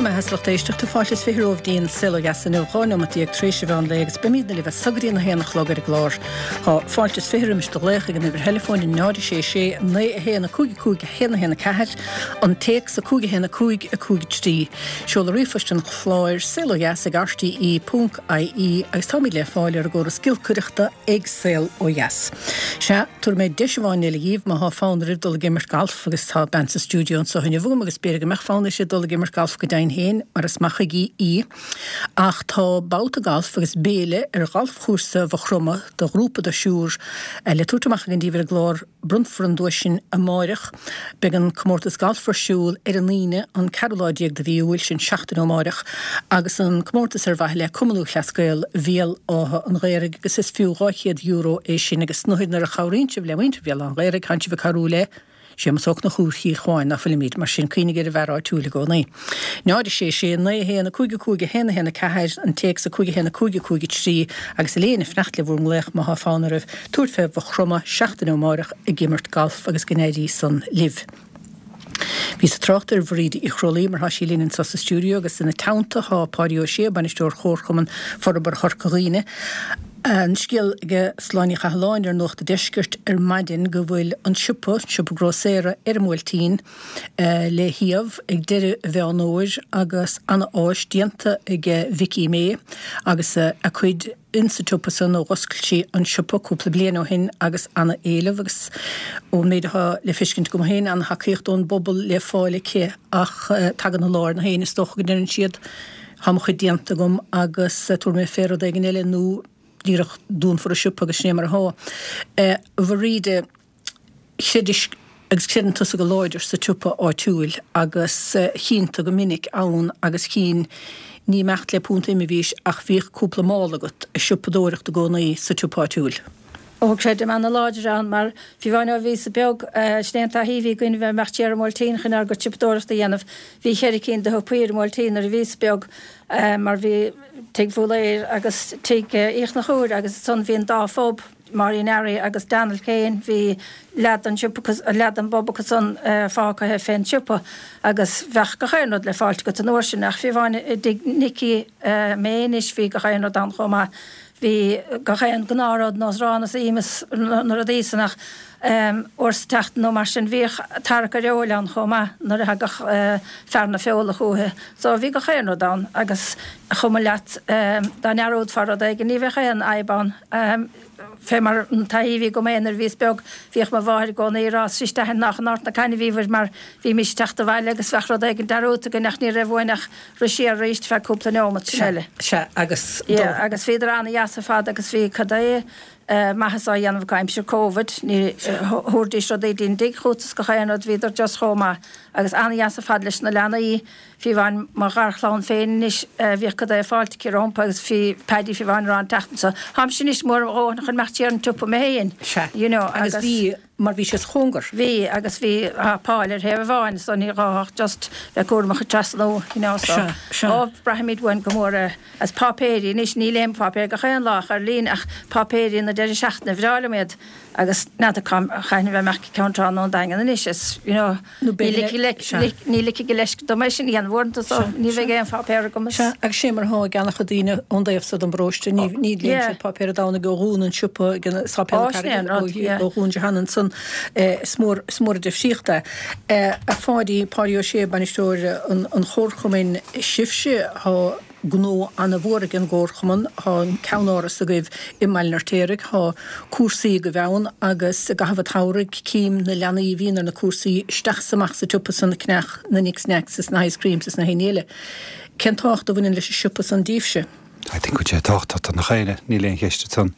Raibh maith agat a lucht éisteachta, fáilte is 20 romhaibh dtí'n Saol Ó Dheas inniu, 12 neomat tar éis an mheán lae agus beimídne libh as so go dtí an 1 a chlog ar an gclár. Tá fáilte is 20 roimis do ghlaoch ag an uimhir theileafóin 0 6 6 9 1 5 5 1 1 4, an téacs 5 1 5 5 3. Seoladh ríomhphoist an chláir, saolodheas ag rte ponc ie agus táimid le fáil ar an gcóras giolcaireachta ag Saol Ó Dheas. Sea, tabharfaidh mé deis amháin eile dhíbh má thá fonn oraibh dul ag imirt galf agus tá bean sa stiúideo anso inniu agam agus b'fhéidir go mbeadh fonn uirthi dul ag imirt galf go deimhin féin mar is maith chuige í. Ach tá babhta galf agus béile ar ghalfchúrsa Mhaigh Chromtha do ghrúpa de thriúr le tabhairt amach againn díbh ar an gclár Bronnfar an duais sin amáireach. Beidh an comórtas galf ar siúl ar an Aoine, an ceathrú lá déag de mhí Iúil, sin seachtain ó amáireach, agus an comórtas ar mhaithe le Cumann Lúthchleas Gael Bhéal Átha an Ghaorthaidh agus is fiú €200 é sin agus nuair a chabhraíonn sibh le muintir Bhéal Átha an Ghaorthaidh, tánn sibh ag cabhrú le Séamus Ó Conchúir Chill Chuáin, ná fuilimid, mar sin cuimhnigh ar an bhfear áitiúil i gcónaí. 0 6 6 9 1 5 5 1 1 4, an téacs 5 1 5 5 3 agus Elaine ag fanacht le bhur nglaoch má thá fonn oraibh tabhairt fé Mhaigh Chromtha seachtain ó amáireach ag imirt galf agus go n-éirí san libh. Bhíos ag trácht ar Bhríd Uí Chrólaí mar thá sí linn anso sa stiúideo agus ina teannta thá Páidí Ó Sé, Bainisteoir Chomharchumann Forbartha Chorca Dhuibhne. An scéal ag Sláine Ní Chathalláin ar Nuacht an Deiscirt ar maidin go bhfuil an siopa, siopa grósaera ar an mBuailtín, le shuíomh ag deireadh Mheán Fhómhair agus ana-áis déanta ag Vicky May agus a cuid insa tsiopa san ó dh'oscail sí an siopa cúpla bliain ó shin agus ana-éileamh agus ón méid atá le feiscint agam féin ana-thacaíocht ón bpobal le fáil aici ach tagann an lá ar na héinne is dócha go ndeireann siad Tá mo chuid déanta agam agus tabharfaidh mé fé rud éigin eile nó díreach dúnfar an siopa agus sin é mar athá. A Bhríde, chreidis agus creideann tusa go láidir sa tsiopa áitiúil agus chínn tú go minic ann agus chínn, ní ag imeacht le punt ime a bhís ach bhíodh cúpla mála agat ag siopadóireacht i gcónaí sa tsiopa áitiúil. Ó, creidim ana-láidir ann mar fiú amháin ó bhíos-sa beag, sin é an taithí a bhí againn bheith ag imeacht siar an mBuailtín chun ár gcuid siopadóireachta a dhéanamh. Bhí cheithre cinn de shiopaí ar an mBuailtín nuair a bhíos beag mar bhí Tigh Bhúlaeir agus Tigh Uí Chonchúir agus ansan bhí an dá phub, Máirín Fhearraigh agus Donald Kane, bhí leath den siopa acu, leath den bpub acu san fágtha fén tsiopa agus bheadh gach aon rud le fáilt agat an uair sin ach fiú amháin i dTigh Nicky May anois bhí gach aon rud ann chomh maith. Bhí gach aon gnáthrud, nós arán is im is na rudaí san ach uair sa tseachtain nó mar sin bhíodh tarrac ar fheoil ann chomh maith nuair a thagadh fear na feola chúithi. So bhí gach aon rud ann agus chuma leat dá ndearúdfá rud éigin ní bheadh aon fhadhb ann. Fé mar an taithí a bhí agam féin nuair a bhíos beag bhíodh mo mháthair i gcónaí ag rá 'Sea isteach in Ard na Caithne a bhíobhair mar bhímis ag teacht abhaile agus bheadh rud éigin dearúdta againn ach ní raibh uainn ach Rith siar arís feadh cúpla neomat, sin eile. Sea, agus do. Yeah, agus bhíodar ana-dheas ar fad agus bhí cad é maitheas á dhéanamh acu aimsir Covid, ní, thabhairdís rudaí dtí'n dtigh chút is gach aon rud, bhíodar just chomh maith agus ana-dheas ar fad leis na leanaí, fiú amháin mo gharchlann féin anois, bhíodh cad é fáilte aici rompu agus bhí Paddy fiú amháin ag rá an tseachtain seo, táimse anois mór mo dhóthain chun imeacht siar an tsiopa mé féin, Sea, you know, agus agus. bhí. Mar bhí sé sa chóngar. Bhí, agus bhí Paul ar thaobh amháin so ní gá ach just bheith cúramach ag trasnú, you know, so. Sea, sea. Ó, braithimid uainn go mór é. As páipéirí, anois ní léim páipéir gach aon lá ach ar líne ach páipéirí na deireadh seachtaine, bhreá liom iad agus n'fheadar cá cathain a bheidh mé ach Ceann Trá nó an Daingean anois is, you know, Nó ní b'fhéidir ligfidh le, sea. ní ligfidh a leisce dom é sin a dhéanamh uaireanta so Sea, ní sea. bheidh aon pháipéar agam is. Sea, agus sé mar atá ag an-chuid daoine ón dtaobh so den bparóiste, ní, ní léann Yeah. siad páipéar an Domhnaigh ó dhún an siopa ag an Sáipéal Ó, na sin é an Carraige, ó, rud, yeah. ó dhún Johanna ansan. Is mór, is mór an difríocht é. A Pháidí, Páidí Ó Sé, bainisteoir an, an Chomharchumainn, sibhse, thá gnó ana-mhór ag an gComharchumann, thá an ceannáras agaibh i mBaile an Fheirtéaraigh, thá cúrsaí agaibh ann agus i gcaitheamh an tsamhraidh cím na leanaí a bhíonn ar na cúrsaí isteach is amach sa tsiopa san ag ceannach na Nicks Knacks is na Ice Creams is na haon ní eile. Cén tábhacht a bhaineann leis an siopa san díbhse? I think go bhfuil sé tábhachtach do nach éinne, níl aon cheist ansan.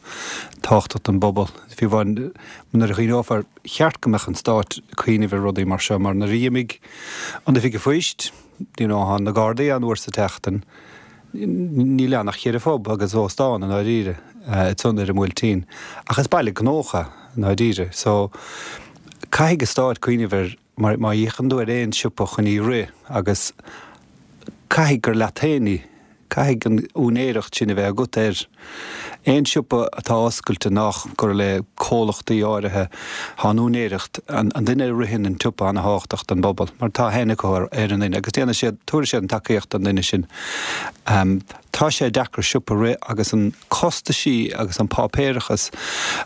Tábhachtach don bpobal. Fiú amháin nuair a chuimhneofar, cheart go mbeadh an Stát ag cuimhneamh ar rudaí mar seo mar nuair a d'imigh an Oifig an Phoist, You know, thá na Gardaí ann uair sa tseachtain, níl ann ach cheithre phub agus óstán i ndáiríre, ansan ar an mBuailtín. Ach is baile gnóthach é, i ndáiríre. So, caithfidh an Stát cuimhneamh ar, mar má fhéachann tú ar aon siopa chun í rith agus caithfidh gur leat féin í, caithfidh an úinéireacht sin a bheith agat air. Aon siopa atá oscailte nách gur le comhlachtaí áirithe, tá an úinéireacht, an duine a ritheann an tsiopa ana-thábhachtach don bpobal mar tá aithne acu ar an nduine agus déanfaidh siad, tabharfaidh siad an tacaíocht don duine sin. Tá sé deacair siopa a rith agus an costaisí agus an páipéarachas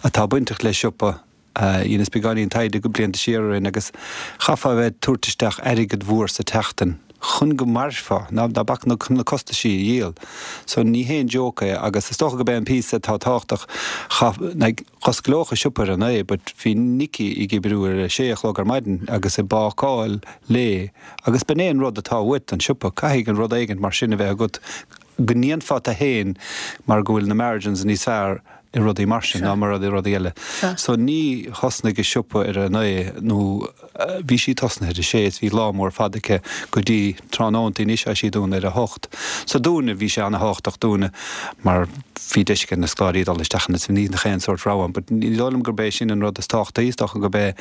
atá bainteach le siopa, Dheineas beagáinín taighde blianta siar ó shin agus chaithfeá a bheith ag tabhairt isteach airgead mhór sa tseachtain chun go mairfeá, ná bac na costaisí a dhíol. So ní haon joke é agus is dócha gurb é an píosa atá tábhachtach, chaith, like, dh'osclódh an siopa ar a naoi but bhí Nicky ag oibriú ar a sé a chlog ar maidin agus ag bácáil léi agus b'in é an rud atá uait don siopa, caithfidh an rud éigint mar sin a bheith agat go ndéanfá tú fhéin mar go bhfuil na margins níos fearr i rudaí mar sin ná mar i rudaí eile. So ní thosnaigh an siopa ar a naoi nó bhí sí tosnaithe ar a sé is bhí lá mór fada aici go dtí tráthnóntaí anois tá sí dúnta ar a hocht. So dúinne bhí sé ana-thábhachtach dúinne mar bhí deis ag na scoláirí dul isteach ann is ní nach aon sórt rogha ann but ní dóigh liom gurb é sin an rud is tábhachtaí, is dócha gurb é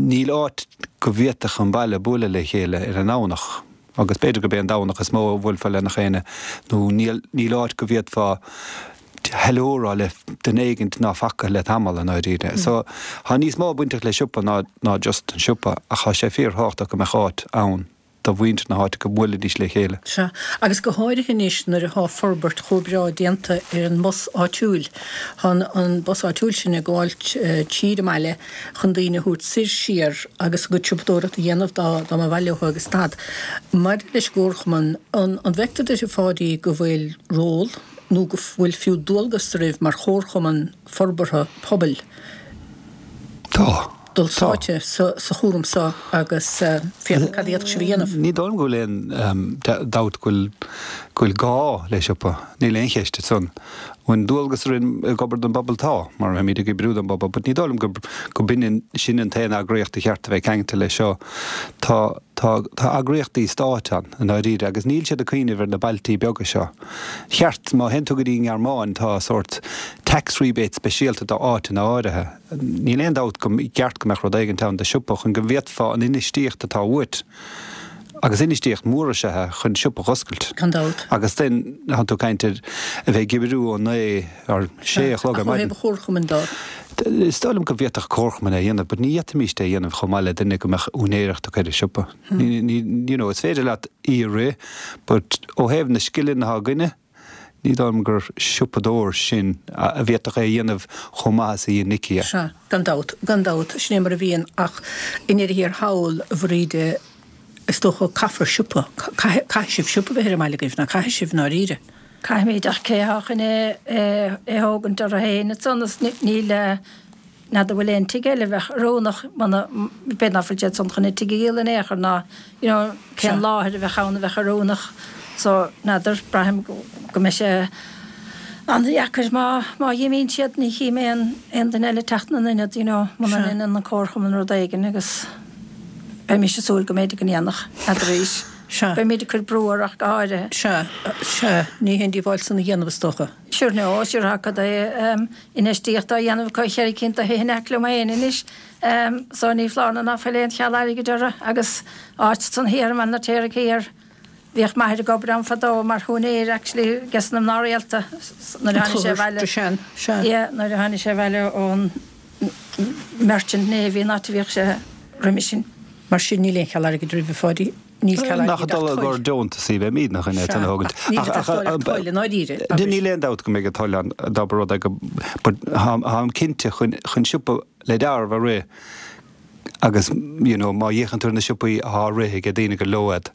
Níl áit go bhféadfadh an baile bualadh le chéile ar an nDomhnach, agus b'fhéidir gurb é an Domhnach is mó a bhuailfeá le nach éinne, nó níl níl áit go bhféadfá hello a rá le duine éigint ná faca le tamall, i ndáiríre. So, tá níos mó bainteach le siopa ná ná just an siopa, ach tá sé fíor-thábhachtach go mbeadh áit ann. do mhuintir na háite go mbuailfidís le chéile. Sea, agus go háirithe anois nuair atá forbairt chomh breá déanta ar an mbus áitiúil. Tá an bus áitiúil sin ag gabháil tríd an mbaile chun daoine a thabhairt soir siar agus a gcuid siopadóireachta a dhéanamh dá dá mba mhaith leo agus stad. Maidir leis an gcomharchumann, an an bhfeictear duit a Pháidí go bhfuil ról nó go bhfuil fiú dualgas oraibh mar chomharchumann forbartha pobail? Tá. dul sáite sa chúram seo agus féachaint cad a d'fhéadfadh sibh a dhéanamh. Ní dóigh liom go bhfuil aon dabht go bhfuil gá le siopa, níl aon cheist ansan. An bhfuil dualgas orainn ag obair don bpobal? Tá, mar táimid ag oibriú don bpobal, but ní dóigh liom go b'in sin an t-aon eagraíocht a cheart a bheith ceangailte leis seo. Tá, tá, tá eagraíochtaí stáit ann, i ndáiríre, agus níl siad ag cuimhneamh ar na bailtí beaga seo. Cheart, má théann tú go dtí an nGearmáin, tá sórt tax rebate speisialta do áiteanna áirithe. Níl aon dabht go gceart go mbeadh rud éigint ann do shiopa chun go bhféadfá an infheistíocht atá uait, agus infheistíocht mhór is ea é, chun siopa dh'oscailt. Gan dabht. Agus then tá tú ag caint ar a bheith ag oibriú ó naoi or sé a chlog ar maidin. Ach ó thaobh an chomharchumainn de? Is dóigh liom go bhféadfadh comharchumann é a dhéanamh but ní fhéadfaimíst é a dhéanamh chomh maith le duine go mbeadh úinéireacht acu ar an siopa. Ní, you know, is féidir leat í a rith but ó thaobh na scileanna atá againne, Ní dóigh liom gur siopadóir sinn a bhféadfadh é a dhéanamh chomh maith is a dhein Nicky é. Sea, gan dabht, gan dabht, sin é mar a bhíonn ach i ndeireadh thiar thall, a Bhríde, is dócha, caithfear siopa, caithfidh sibh siopa a bheith ar an mbaile agaibh, ná caithfidh sibh, i ndáiríre? Caithfimid, ach cé atá chun é a thógaint orthu féin ansan is níl, N'fheadar bhfuil aon tigh eile a bheadh oiriúnach muna, b'fhéidir ná fuil siad san chun an tigh a dhíol in aon chor ná you know cén láthair a bheadh ann a bheadh oiriúnach so n'fheadar, braithim go mbeidh sé an-deacair má, má dh'imíonn siad ní chím aon, aon duine eile ag teacht ina n-ionad you know muna ndeineann an comharchumann rud éigin agus beimis ag súil go mb'fhéidir go ndéanfadh, n'fheadar arís. Sea. Beimid ag cur brú orthu ach go háirithe. Sea, sea, ní haon díobháil san a dhéanamh is dócha. Sure no, sure tá cad é infheistíocht á dhéanamh acu cheithre cinn de thithe in aice liom féin anois so ní foláir nó ná fuil aon cheal airgid orthu agus áit san thiar i mBaile an Fheirtéaraigh thiar. Bhíodh m'athair ag obair ann fadó mar shiúinéir actually 'ges na mná rialta nuair a tháinig sé abhaile. Yeah, nuair a tháinig sé abhaile ón Merchant Navy an áit a bhíodh sé roimhe sin. Mar sin níl aon cheal airgid oraibh a Pháidí. Níl ceal Nach ag dul ag ár deontas í bheimid nach in é tan a thógaint. Níl ag teastáil ach toil i ndáiríre. Níl aon dabht go mbeidh an toil ann dá mba rud é go but táim cinnte chun chun siopa le dealramh a rith agus you know má fhéachann tú ar na siopaí atá á rith ag daoine gur leo iad,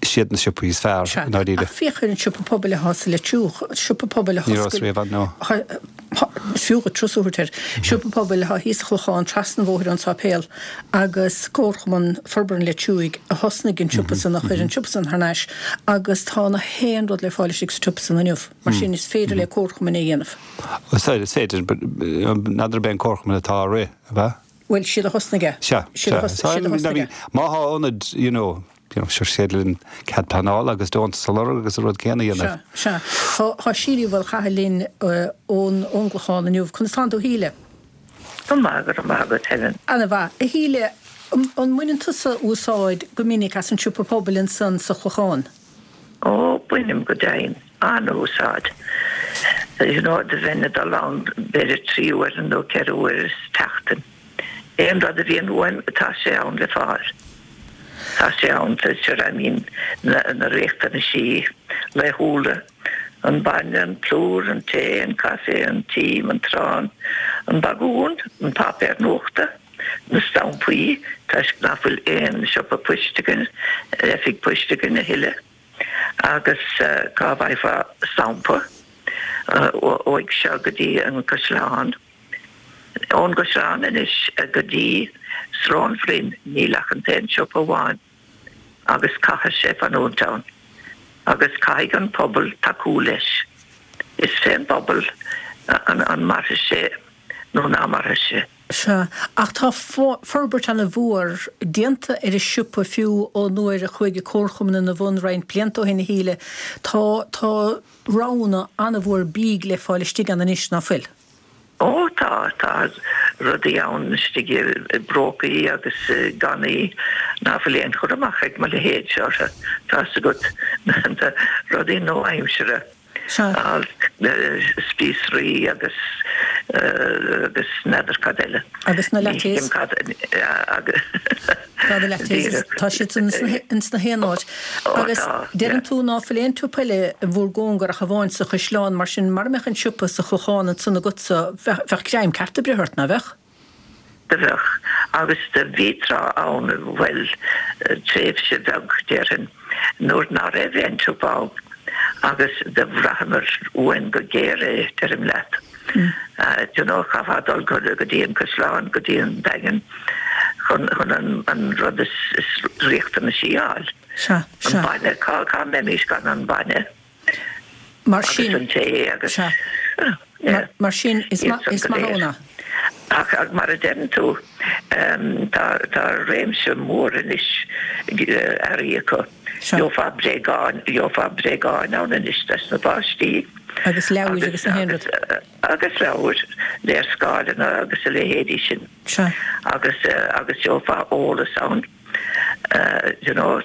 siad na siopaí is fearr i ndáiríre. Ach féach ar an siopa pobail atá sa Leitriúch, siopa pobail a Ní rabhas riamh ann, no. Is fiú dhuit turas a thabhairt air. Siopa pobail atá thíos sa Chlochán, trasna an bhóthair ón sáipéal, agus Comharchumann Forbartha an Leitriúigh a thosnaigh an siopa san, a chuir an siopa san thar n-ais, agus tá na haon rud le fáil istigh sa tsiopa san inniu. Mar sin, is féidir le comharchumainn é a dhéanamh. Is féidir, but n'fheadar ab é an comharchumann atá á rith, ab ea? Bhuel, siad a thosnaigh é. Sea, sea. Siad a thosnaigh é. Má thá ionad, you know, you know, sure is féidir linn cead pleanála agus deontas a lorg agus an rud céanna a dhéanamh. Sea, sea. Tá Síle Uí Mhaolchathail linn ón ón gClochán inniu. Conas tánn tú, a Shíle? Go maith, go raibh maith agat, Helen. Ana-mhaith. A Shíle, an mbaineann tusa úsáid go minic as an siopa pobail ansan sa Chlochán? Ó, bainim go deimhin. An-úsáid. You know, do bheinn ag dul ann b'fhéidir 3 uaire nó 4 uaire sa tseachtain. Aon rud a bhíonn uaim, tá sé ann le fáil. Tá sé ann, sure, I mean, na, na riachtanaisí laethúla, an bainne, an plúr, an tae, an caife, an tím, an t-arán, an bagún, an páipéar nuachta, na stampaí, toisc nach bhfuil aon siopa poist againn, oifig poist againn a thuilleadh. Agus cá bhfaighfeá stampa uaidh seo go dtí an Caisleán? Ón gCaisleán anois go dtí Srón Bhroin níl ach an t-aon siopa amháin agus caithfidh sé fanúint ann agus caithfidh an pobal tacú leis. Is fén bpobal an mairfidh sé nó ná mairfidh sé. Sea, ach tá forbairt ana-mhór déanta ar an siopa fiú ó nuair a chuaigh an Comharchumann ina bhun roinnt blianta ó shin, a Shíle. Tá, tá roghanna ana-mhór bídh le fáil istigh ann anois, ná fuil? Ó tá, tá rudaí ann istigh i bprócaí agus i gcannaí ná fuil aon chur amach ag mo leithéidse orthu, tá's agat, na rudaí nua-aimsire. Sea. Spíosraí agus agus n'fheadar cad eile. Agus na lattes. Tá na lattes, tá siad san ins na haon áit. Agus deireann tú ná fuil aon tsiopa eile i bhúr gcóngar ach amháin sa Chaisleán, mar sin mara mbeadh an siopa sa Chlochán ansan agatsa, bheadh greim ceart ag breith ort, ná bheadh? Do bheadh. Agus do bhí tráth ann, bhuel, tréimhse bheag, déarfainn, nuair ná raibh aon tsiopa ann agus do bhraitheamar uainn go géar é, deirim leat. Do you know, chaithfeá dul go dtí an Caisleán, go dtí an Daingean chun, chun an, an rud is, is riachtanaisí a fháil. Sea, sea. An bainne, cá, cá mbeimis gan an bainne? Mar sin, Agus an tae agus, sea. yeah. Mar sin, is Iad maith, san is go maith léir. ann é. Ach mar a deireann tú, tá, tá réimse mór anois earraí acu. Sea. Gheofá bréagáin, gheofá bréagáin ann anois dos na páistí. Agus leabhair agus na haon rud. Agus leabhair, léarscáileanna agus a leithéidí sin. Sea. Agus, agus gheofá eolas ann. You know,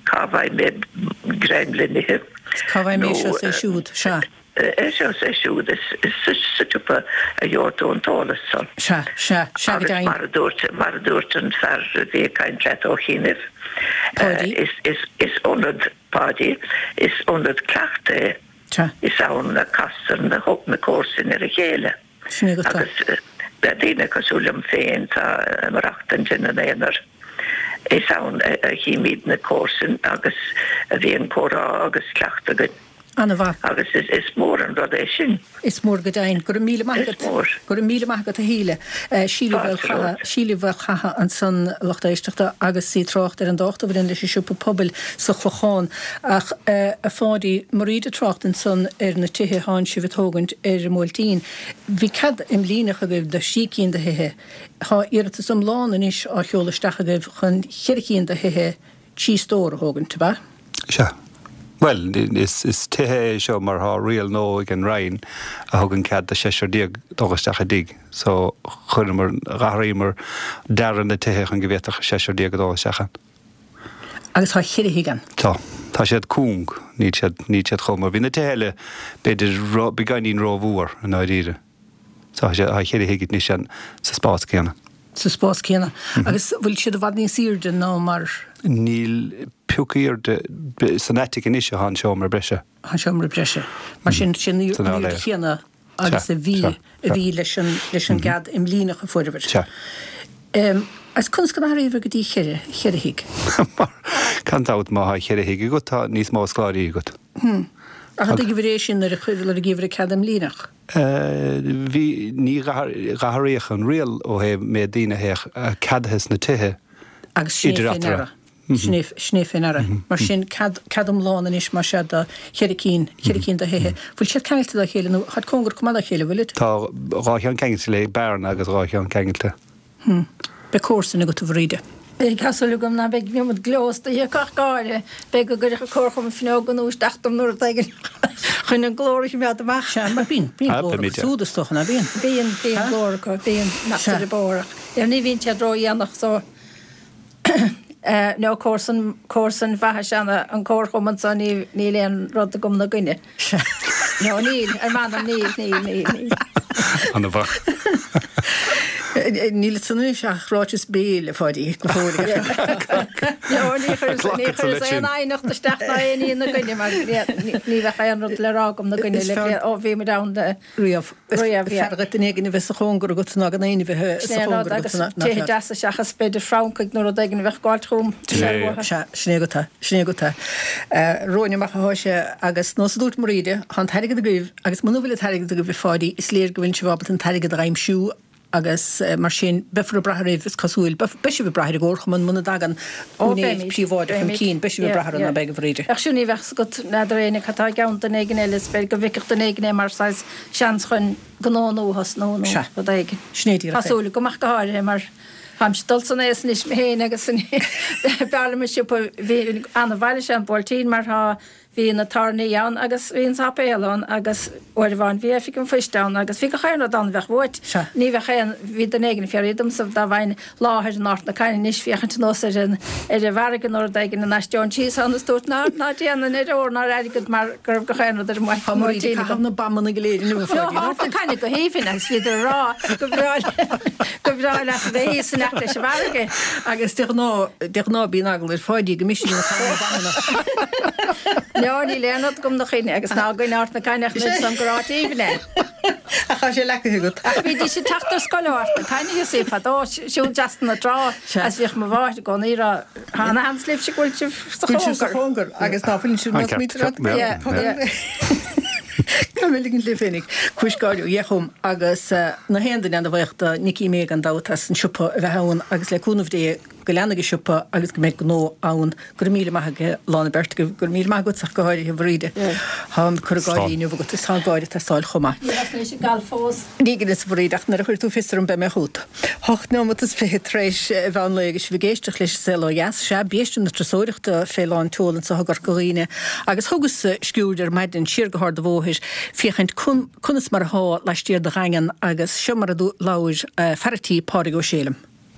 cá bhfaighidh mé greim le n-ithe. Cá bhfaighidh mé seo is é siúd, sea. É seo is é siúd, is sa tsiopa a gheobhaidh tú an t-eolas san. Sea, sea, sea go Agus deimhin. mar a dúirt, mar a dúirt an fear a bhí ag caint leat ó chianaibh, Páidí. is, is, is ionad, Páidí, is ionad cleachta é. Sea. Is ann a castar na, na comharsain ar a chéile. Sin é go tá. Agus daoine cosúil liom féin atá ag maireachtaint ina n-aonar, is ann a chímid na comharsain agus a bhíonn comhrá agus cleachtadh againn. An-mhaith. Agus is mór an rud é sin. Is mór go deimhin. Go raibh míle maith Is agat. mór. Go raibh míle maith agat a Shíle. Síle Fáilte romhat. Síle Mhaol Catha ansan, a lucht éisteachta, agus í ag trácht ar an dtábhacht a bhaineann leis an siopa pobail sa Chlochán. Ach, a Pháidí, Mairéad ag trácht ansan ar na tithe thánn sibh ag tógaint ar an mBuailtín. Bhí cead imlíneach agaibh do thrí cinn de thithe. Tá iarratas iomlán anois á sheoladh isteach agaibh chun cheithre cinn de thithe trí stór a thógaint, ab ea? Sea. Bhuel, is tithe é seo mar tá riail nua ag an Roinn a thugann cead do sheisear dul isteach i dtigh. So, chuireamar, d'athraíomar dearadh na tithe chun go bhféadfadh seisear dul isteach ann. Agus tá cheithre thigh ann. Tá. Tá siad cúng. Níl siad, níl siad chomh mór. Bhí na tithe eile, b'fhéidir, ró, beagáinín rómhór, i ndáiríre. So tá siad, tá cheithre thigh anois ann sa spás céanna. Sa spás céanna. Agus bhfuil siad i bhfad níos aoirde ná mar. Níl pioc aoirde, san attic anois atá an seomra breise. An seomra breise. Mar sin, sin an aoirde chéanna agus a bhí, a bhí leis an, leis an gcead imlíneach a fuaireabhair. Sea. Agus conas go n-athraíobhair go dtí cheithre, cheithre thigh? Mar, gan dabht, má thá cheithre thigh agat, tá níos mó scoláirí agat. Ach an dtuigeabhair é sin nuair a chuir, nuair a gheibheabhair an cead imlíneach? Bhí, ní dh'athraíodh an riail ó thaobh méid daoine a bheadh ceadaithe sna tithe Agus sin é idir fé eatarthu. ndeara. Sin é, sin é fé ndeara. Mar sin, cead, cead iomlán anois, más ea, do cheithre cinn, cheithre cinn de thithe. Bhfuil siad ceangailte dá chéile nó táid cóngarach go maith dá chéile, bhfuilid? Tá dhá cheann ceangailte le bearna agus dhá cheann ceangailte. Hm. Beidh comharsain agat, a Bhríde. Beidh, tá súil agam ná beidh an iomad gleo istoíche acu ach go háirithe. Beidh go gcuirfeadh an comharchumann fuinneoga nua isteach dom nó rud éigin chun an glór a choimeád amach. Sea, mar bíonn, bíonn glór acu siúd is dócha, ná bíonn? Bíonn, bíonn glór acu, bíonn, nach Sea. ar an bóthar ach ní bhíonn siad ródhéanach so. No, comharsan, comharsain mhaithe is ea an comharchumann so, níl aon rud agam 'na gcoinne. Sea. No, níl, ar m'anam, níl, níl, níl, níl. Ana-mhaith. Níl ansan anois ach ráiteas béil, a Pháidí, go fóill. No, ní chuireas, ní chuireas aon aighneacht isteach ná aon ní ina gcoinne mar ní bheadh aon rud le rá agam 'na gcoinne le bliain, ó bhí muid ann le. Riamh. Is fearr dhuit duine éigin a bheith sa chóngar agat ná gan éinne a bheith sa chóngar agat. Sin é an rud, agus tithe deasa seachas b'fhéidir Francaigh nó rud éigin a bheadh ag gabháilt chugam. Sea, sin é agat é, sin é agat é. Romhainn amach athá sé agus nós a dúirt Mairéad, tá an t-airgead agaibh agus muna bhfuil an t-airgead agaibh a Pháidí, is léir go bhfuil sibh ábalta an t-airgead a aimsiú agus mar sin beifear ag brath oraibh, is cosúil. Beidh sibh ag brath ar an gComharchumann muna dtagann úinéir príobháideach chun cinn, beidh sibh ag brath orthu, ná beidh, a Mhairéad? Ach siúd ní bheadh 's agat n'fheadar éinne cad tá i gceann duine éigin eile, is b'fhéidir go bhfeicfeadh duine éigin é mar saghas seans chun gnó nua a thosnú nó rud éigin. Sin é díreach é. Tá súil agam ach go háirithe mar táimse ag dul san aos anois mé féin agus b'fhearr liom an siopa, bhí ana-mhaith leis an Buailtín mar tá Bhí na tábhairní ann agus bhí an sáipéal ann agus uair amháin bhí oifig an phoist ann agus bhí gach aon rud ann a bheadh uait. Sea. Ní bheadh aon, bhí duine éigin ag fiafraí domsa dá bhfaighinn láthair in Ard na Caithne anois féachaint anuas ar an, ar an bhfarraige nó rud éigin an n-aistreoinn síos ann is dúirt ná, ná déanfainn ar ór ná ar airgead mar go raibh gach aon rud ar an Tá Mairéad ag caitheamh na bAmanna go léir inniu, a Pháidí. Ard na Caithne go haoibhinn agus bhíodar ag rá go bhreá, go bhreá leat a bheith thíos in aice leis an bhfarraige. Agus de ghnáth, de ghnáth bíonn eagla ar Pháidí go mb'shin ag caitheamh na bAmanna. No, níl aon rud agam 'na choinne agus ná i gcoinne Ard na Caithne ach níl 'fhios a'm gur áit aoibhinn é. Ach tá sé leacaithe agat. Ach bhídís ag teacht ar scoil ó Ard na Caithne thíos í fadó, siúl trasna na trá agus bhíodh mo mháthair i gcónaí ag rá, Tá ana-sheans libhse go bhfuil sibh sa Go bhfuil sibh sa chóngar agus ná fuileann sibh An ceart, yeah, yeah. Tá mé ligint libh féinig. Cúis gáire ó dheich dhom agus na haon duine ana-bhuíoch do Nicky May gan dabht as an siopa a bheith ann agus le cúnamh Dé go leanfaidh an siopa agus go mbeidh gnó ann. Go raibh míle maith ag lán an beirt agaibh. Go raibh míle maith agatsa ach go háirithe, a Mhairéad. Tá an cur ag gáirí inniu agat is tá an gáire ag teastáil chomh maith. Ní raibh mise ag gabháil fós. Ní gin is a Mhairéad ach nuair a chuir tú fios orm beidh mé chugat. 8 neomat is 20 tar éis mheán lae agus sibh ag éisteacht leis an Saol Ó Dheas. Sea, biaiste na turasóireachta fé lán tseoil anseo i gCorca Dhuibhne agus thugas sciuird ar maidin siar go hArd an Bhóthair féachaint conas mar athá laistiar de Dhaingean agus seo mar a labhair fear a' tí Pádraig Ó Sé liom.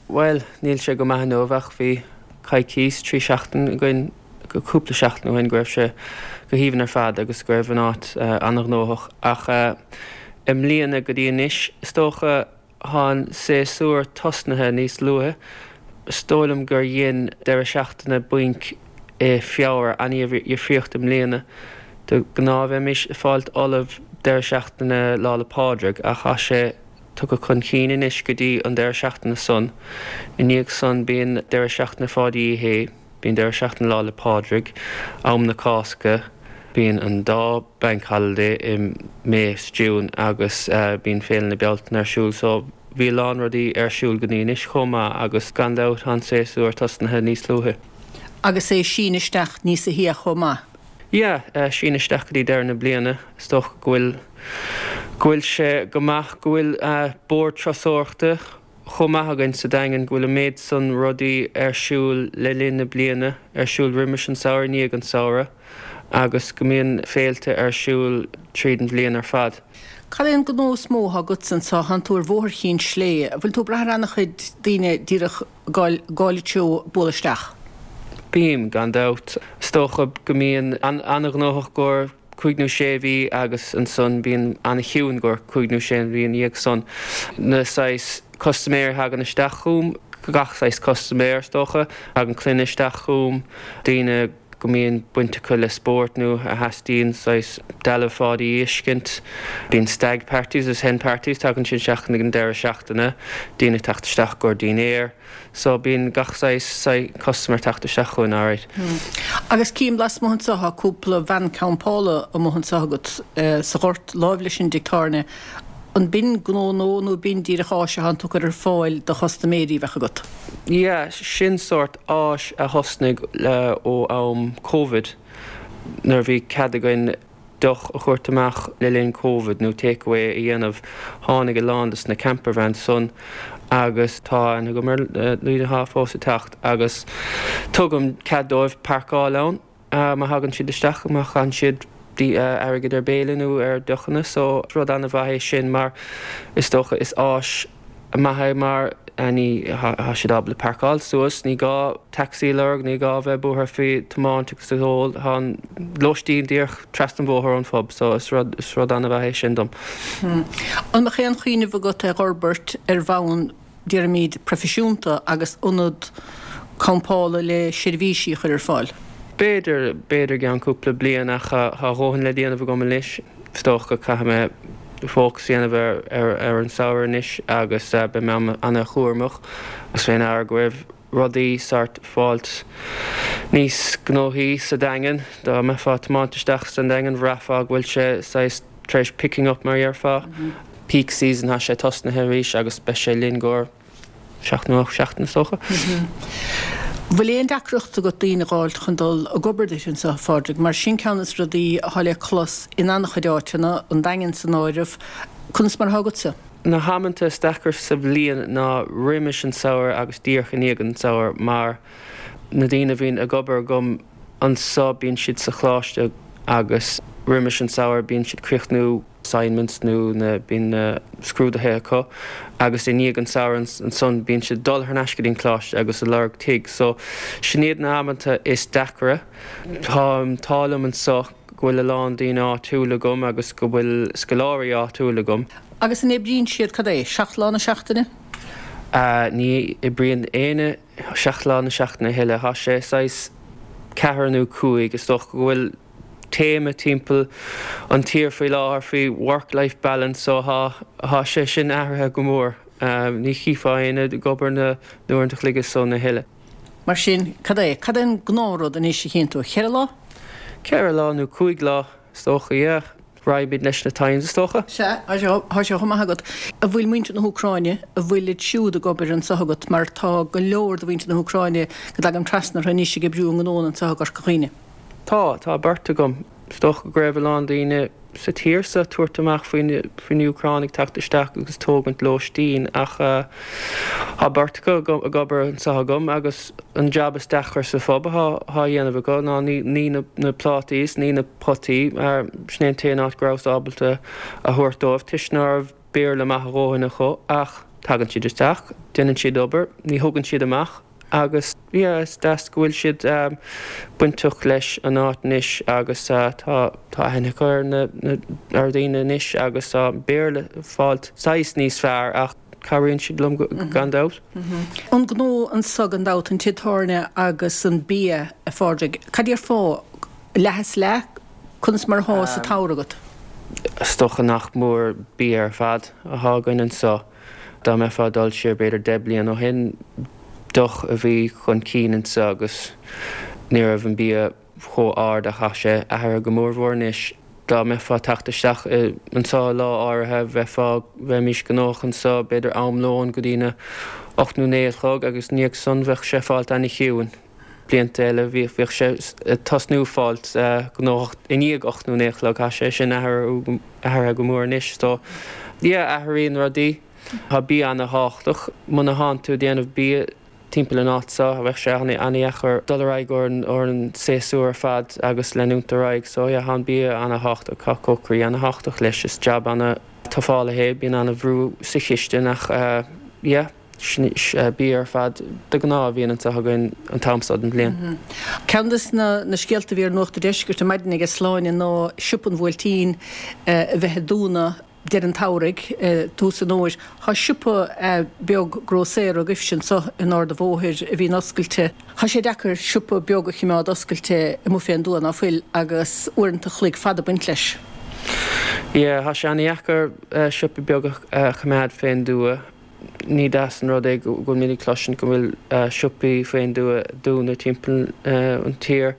Bhuel, níl sé go maith inniu ach bhí coicís, 3 seachtain againn, cúpla seachtain ó shin go raibh sé go haoibhinn ar fad agus go raibh an áit an-ghnóthach. Ach i mbliana go dtí anois, is dócha, tá an séasúr tosnaithe níos luaithe. Is dóigh liom gur dhein deireadh seachtaine bainc i Feabhra an-dhifríocht i mbliana. De ghnáth bheimis ag fáilt ullamh deireadh seachtaine Lá 'le Pádraig ach tá sé tugtha chun cinn anois go dtí an deireadh seachtaine san. I ndiaidh san bíonn deireadh seachtaine Pháidí Uí Shé, bíonn deireadh seachtaine Lá 'le Pádraig, am na Cásca, bíonn an dá Bank Holiday i May 's June agus bíonn Féile na Bealtaine ar siúl so bhí a lán rudaí ar siúl go dtí anois chomh maith agus gan dabht tá an séasúr tosnaithe níos luaithe. Agus é síneadh isteach níosa shia chomh maith. Yeah, síneadh isteach go dtí deireadh na bliana. Is dócha go bhfuil, go bhfuil sé go maith go bhfuil bord turasóireachta chomh maith againn sa Daingean, go bhfuil an méid san rudaí ar siúl le linn na bliana, ar siúl roimis an samhradh, i ndiaidh an samhradh agus go mbíonn féilte ar siúl tríd an bhliain ar fad. Cad é an gnó is mó atá agatsa anseo? Tánn tú ar Bhóthar Chinn Slé. An bhfuil tú ag brath ar an-chuid daoine díreach ag gabháil an treo bualadh isteach? Bím, gan dabht. Is dócha go mbíonn an-ghnóthach i gcomhair cúig nó sé mhí agus ansan bíonn an-chiúin i gcomhair cúig nó sé mhí ina dhiaidh san. Na saghas custaiméirí a thagann isteach chugam, gach saghas custaiméir is dócha, tagann clainne isteach chugam, daoine go mbíonn baint acu le spórt nó a theastaíonn saghas dealbh Pháidí a fheiscint. Bíonn stag parties agus hen parties, tagann siad isteach ag an deireadh seachtaine, daoine ag teacht isteach i gcomhair dinnéar. So bíonn gach saghas customer ag teacht isteach chugainn, alright. Agus cím lasmuigh anseo tá cúpla veain campála amuigh anseo agat sa ghort láimh leis an dtigh tábhairne. An b'in gnó nua nó b'in díreach áis atánn tú ag cur ar fáil do chustaiméirí a bheadh agat? Yeah, sin sórt áis a thosnaigh ó am Covid nuair a bhí cead againn deoch a thabhairt amach le linn Covid nó take away a dhéanamh. Tháinig a lán de na camper vans san agus tá aithne agam ar daoine atá fós ag teacht agus tugaim cead dóibh páirceáil ann má thagann siad isteach, má chaitheann siad airgead ar béile nó ar deochanna. So rud an-mhaith é sin mar is dócha is áis. maith é mar ní, tá siad ábalta páirceáil suas, ní gá taxi a lorg, ní gá bheith buartha faoi tiomáint agus ag ól, tá an lóistín díreach trasna an bhóthair ón phub so is rud, is rud an-mhaith é sin dom. An mbeadh aon chuimhneamh agat é dh'fhorbairt ar bhonn, déarfaimid, proifisiúnta agus ionad campála le seirbhísí a chur ar fáil? B'fhéidir, b'fhéidir i gceann cúpla bliain ach tá a dhóthain le déanamh agam anois. Is dócha go caithfidh mé fócas a dhéanamh ar an samhradh anois agus beidh mé ana-chúramach agus fé ndeara go raibh rudaí sort fáilt níos gnóthaí sa Daingean. Dá mbeifeá ag tiomáint isteach san Daingean bhraithfeá go bhfuil sé saghas tar éis picking up mar a dhéarfá. Peak season tá sé tosnaithe arís agus beidh sé linn go seacht nó 8 seachtain is dócha. Bhfuil aon deacracht agat daoine a dh'fháilt chun dul ag obair duit anso, a Phádraig? Mar sin ceann des na rudaí athá le clos in an-chuid áiteanna, an Daingean san áireamh. Conas mar athá agatsa? Na hamanta is deacra sa bhliain ná roimis an samhradh agus díreach i ndiaidh an samhradh mar na daoine a bhíonn ag obair agam anso bíonn siad sa choláiste agus roimis an samhradh bíonn siad críochnú assignments nó na bíonn na scrúduithe acu agus i ndiaidh an samhradh ansan bíonn siad ag dul thar n-ais go dtí an coláiste agus ag lorg tigh so sin iad na amanta is deacra. Tá an t-ádh liom anso go bhfuil a lán daoine áitiúil agam agus go bhfuil scoláirí áitiúil agam. Agus an oibríonn siad, cad é, 7 lá na seachtaine? Ní oibríonn éinne 7 lá na seachtaine a thuilleadh. Tá sé saghas ceathair nó cúig. Is dócha go bhfuil téama timpeall an tír faoi láthair faoi work life balance so thá thá sé sin athraithe go mór. Ní chífeá éinne ag obair na n-uaireanta a chloig is san a thuilleadh. Mar sin, cad é, cad é an gnáthrud anois a chíonn tú? Cheithre lá? Ceithre lá nó cúig lá is dócha, yeah. Raghaimid leis na times is dócha. Sea, tá sé, tá sé chomh maith agat. An bhfuil muintir na hÚcráine, an bhfuilid siúd ag obair anso agat mar tá go leor de mhuintir na hÚcráine go dtagaim trasna orthu anois ag oibriú a ngnónna anso i gCorca Dhuibhne. Tá, tá beirt agam. Is dócha go raibh a lán daoine sa tír so ag tabhairt amach faoi na hÚcránaigh teacht isteach agus tógaint lóistín ach tá beirt acu ag obair anseo agam agus an jab is deacra sa phub atá á dhéanamh acu ná ní na plátaí is ní na potaí mar sin é an t-aon áit go rabhas ábalta a thabhairt dóibh toisc ná raibh Béarla maith a dhóthain acu ach tagann siad isteach, déanann siad obair, ní thugann siad amach. Agus yeah is deas go bhfuil siad bainteach leis an áit anois agus tá tá aithne acu ar na ar dhaoine anois agus tá Béarla fáilt saghas níos fearr ach cabhraíonn siad liom gan dabht. An gnó anso gan dabht, an tigh tábhairne agus an bia, a Phádraig, cad déarfá, leath is leath, conas mar athá sa tsamhradh agat? Is dócha nach mór bia ar fad athá againn anso. Dá mbeifeá ag dul siar b'fhéidir 10 bliain ó shin, deoch a bhí chun cinn anso agus ní raibh an bia chomh ard ach tá sé athraithe go mórmhór anois. Dá mbeifeá ag teacht isteach anso lá áirithe, bheifeá, bheimís gnóthach anso b'fhéidir am lóin go dtí na 8 nó 9 a chlog agus i ndiaidh san bheadh sé fáilt ana-chiúin. Blianta eile bhíodh sé ag tosnú fáilt gnóthach i ndiaidh 8 nó 9 a chlog. Tá sé sin athraithe go mór anois. So yeah, athraíonn rudaí. Tá bia ana-thábhachtach. Muna thánn tú ag déanamh bia timpeall an áit seo, bheadh sé ana-dheacair dul ar aghaidh ar an séasúr ar fad agus leanúint ar aghaidh. So yeah, tá an bia ana-thábhachtach. Tá cócairí ana-thábhachtach leis. Is jab ana-tufálach é. Bíonn ana-bhrú sa chistin ach yeah. Sin bia ar fad de ghnáth a bhíonn anseo againn an t-am seo den bhliain. Ceann de na scéalta a bhí ar Nuacht an Deiscirt ar maidin aige Sláine ná Siopa an Bhuailtín a bheith ag dúnadh deireadh an tsamhraidh, tús an fhómhair. Tá siopa beag grósaera agaibhse anseo in Ard an Bhóthair a bhíonn oscailte. Tá sé deacair siopa beag a chimeád oscailte amuigh fén dtuath, ná fuil, agus uaireanta a chloig fada ag baint leis. Yeah, tá sé ana-dheacair siopa beag a choimeád fén dtuath. Ní deas an rud é go bhfuilimid ag cloisint go bhfuil siopaí faoin dtuath ag dúnadh timpeall an tír.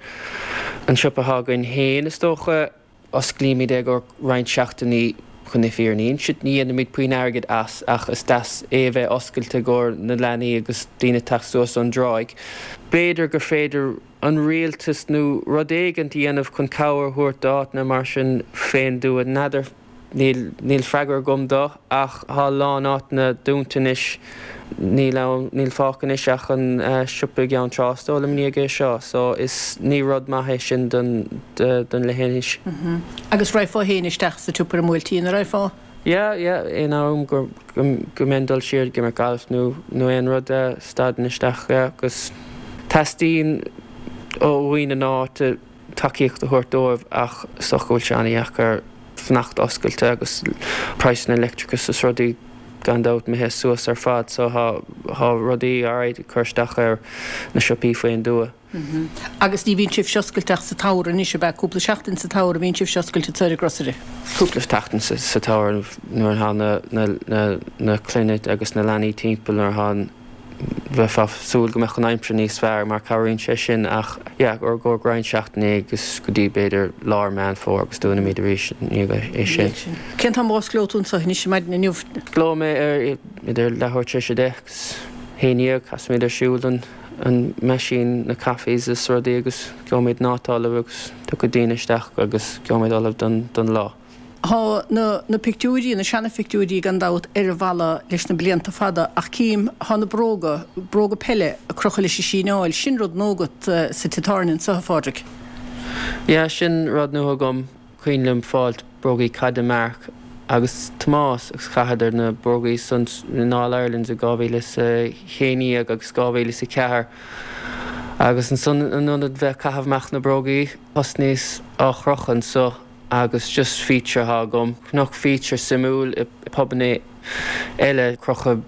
An siopa atá againn féin, is dócha, osclaímid é i gcomhair roinnt seachtainí chun na fírinne a insint. Ní dhéanaimid puinn airgid as ach is deas é a bheith oscailte i gcomhair na leanaí agus daoine ag teacht suas ón dtráigh. B'fhéidir gur féidir an rialtas nó rud éigint a dhéanamh chun cabhair a thabhairt d'áiteanna mar sin fén dtuath. N'fheadar. Níl, níl freagra agam dó ach tá a lán áiteanna dúnta anois. Níl ann, níl fágtha anois ach an siopa i gCeann Trá is dóigh liom i ndiaidh é seo so is, ní rud maith é sin don, don leithinis. Agus raghfá féin isteach sa tsiopa ar an mBuailtín, an raghfá? Yeah, yeah, aon am go go mbeinn dul siar ag imirt gailf nó nó aon rud, stadaim isteach, yeah, agus teastaíonn ó dhaoine na háite tacaíocht a thabhairt dóibh ach is dócha go bhfuil sé an-dheacair fanacht oscailte agus praghsanna leictreachais is rudaí gan dabht imithe suas ar fad so thá thá rudaí alright ag cur isteach ar na siopaí faoin dtuath. Agus ní bhíonn sibhse oscailte ach sa tsamhradh anois, ab ea? Cúpla seachtain sa tsamhradh a bhíonn sibhse oscailte anseo ar an grocery? Cúpla seachtain sa tsamhradh nuair atá na na na na clainne agus na leanaí timpeall nuair atá an bheifeá ag súil go mbeadh an aimsir níos fearr mar cabhraíonn sé sin ach yeah i gcomhair roinnt seachtainí agus go dtí b'fhéidir lár Meán Fómhair agus dúnaimid arís i ndiaidh é sin. Cén t-am a osclóidh tú anseo anois ar maidin inniu? Osclóidh mé ar idir leathuair tar éis a deich agus 11 casfaimid ar siúl an an meaisín na coffees is rudaí agus gheobhaimid an áit ullamh agus tiocfaidh daoine isteach agus gheobhaimid ullamh don don lá. Thá na na pictiúirí, na seana-phictiúirí gan dabht, ar an bhalla leis na blianta fada ach cím, thá na bróga, bróga peile ag crochadh leis an síneáil, sin rud nua agat sa tigh tábhairne anso, a Phádraig. Yeah, sin rud nua agam. Cuimhin liom fáilt brógaí caide Mark agus Tomás agus chaitheadar na brógaí san in All Irelands i 2011 agus 2004 agus ansan in ionad bheith ag caitheamh amach na brógaí thosnaíos á chrochadh anso agus just feature atá agam. Chonac feature suimiúil i pubanna eile crochadh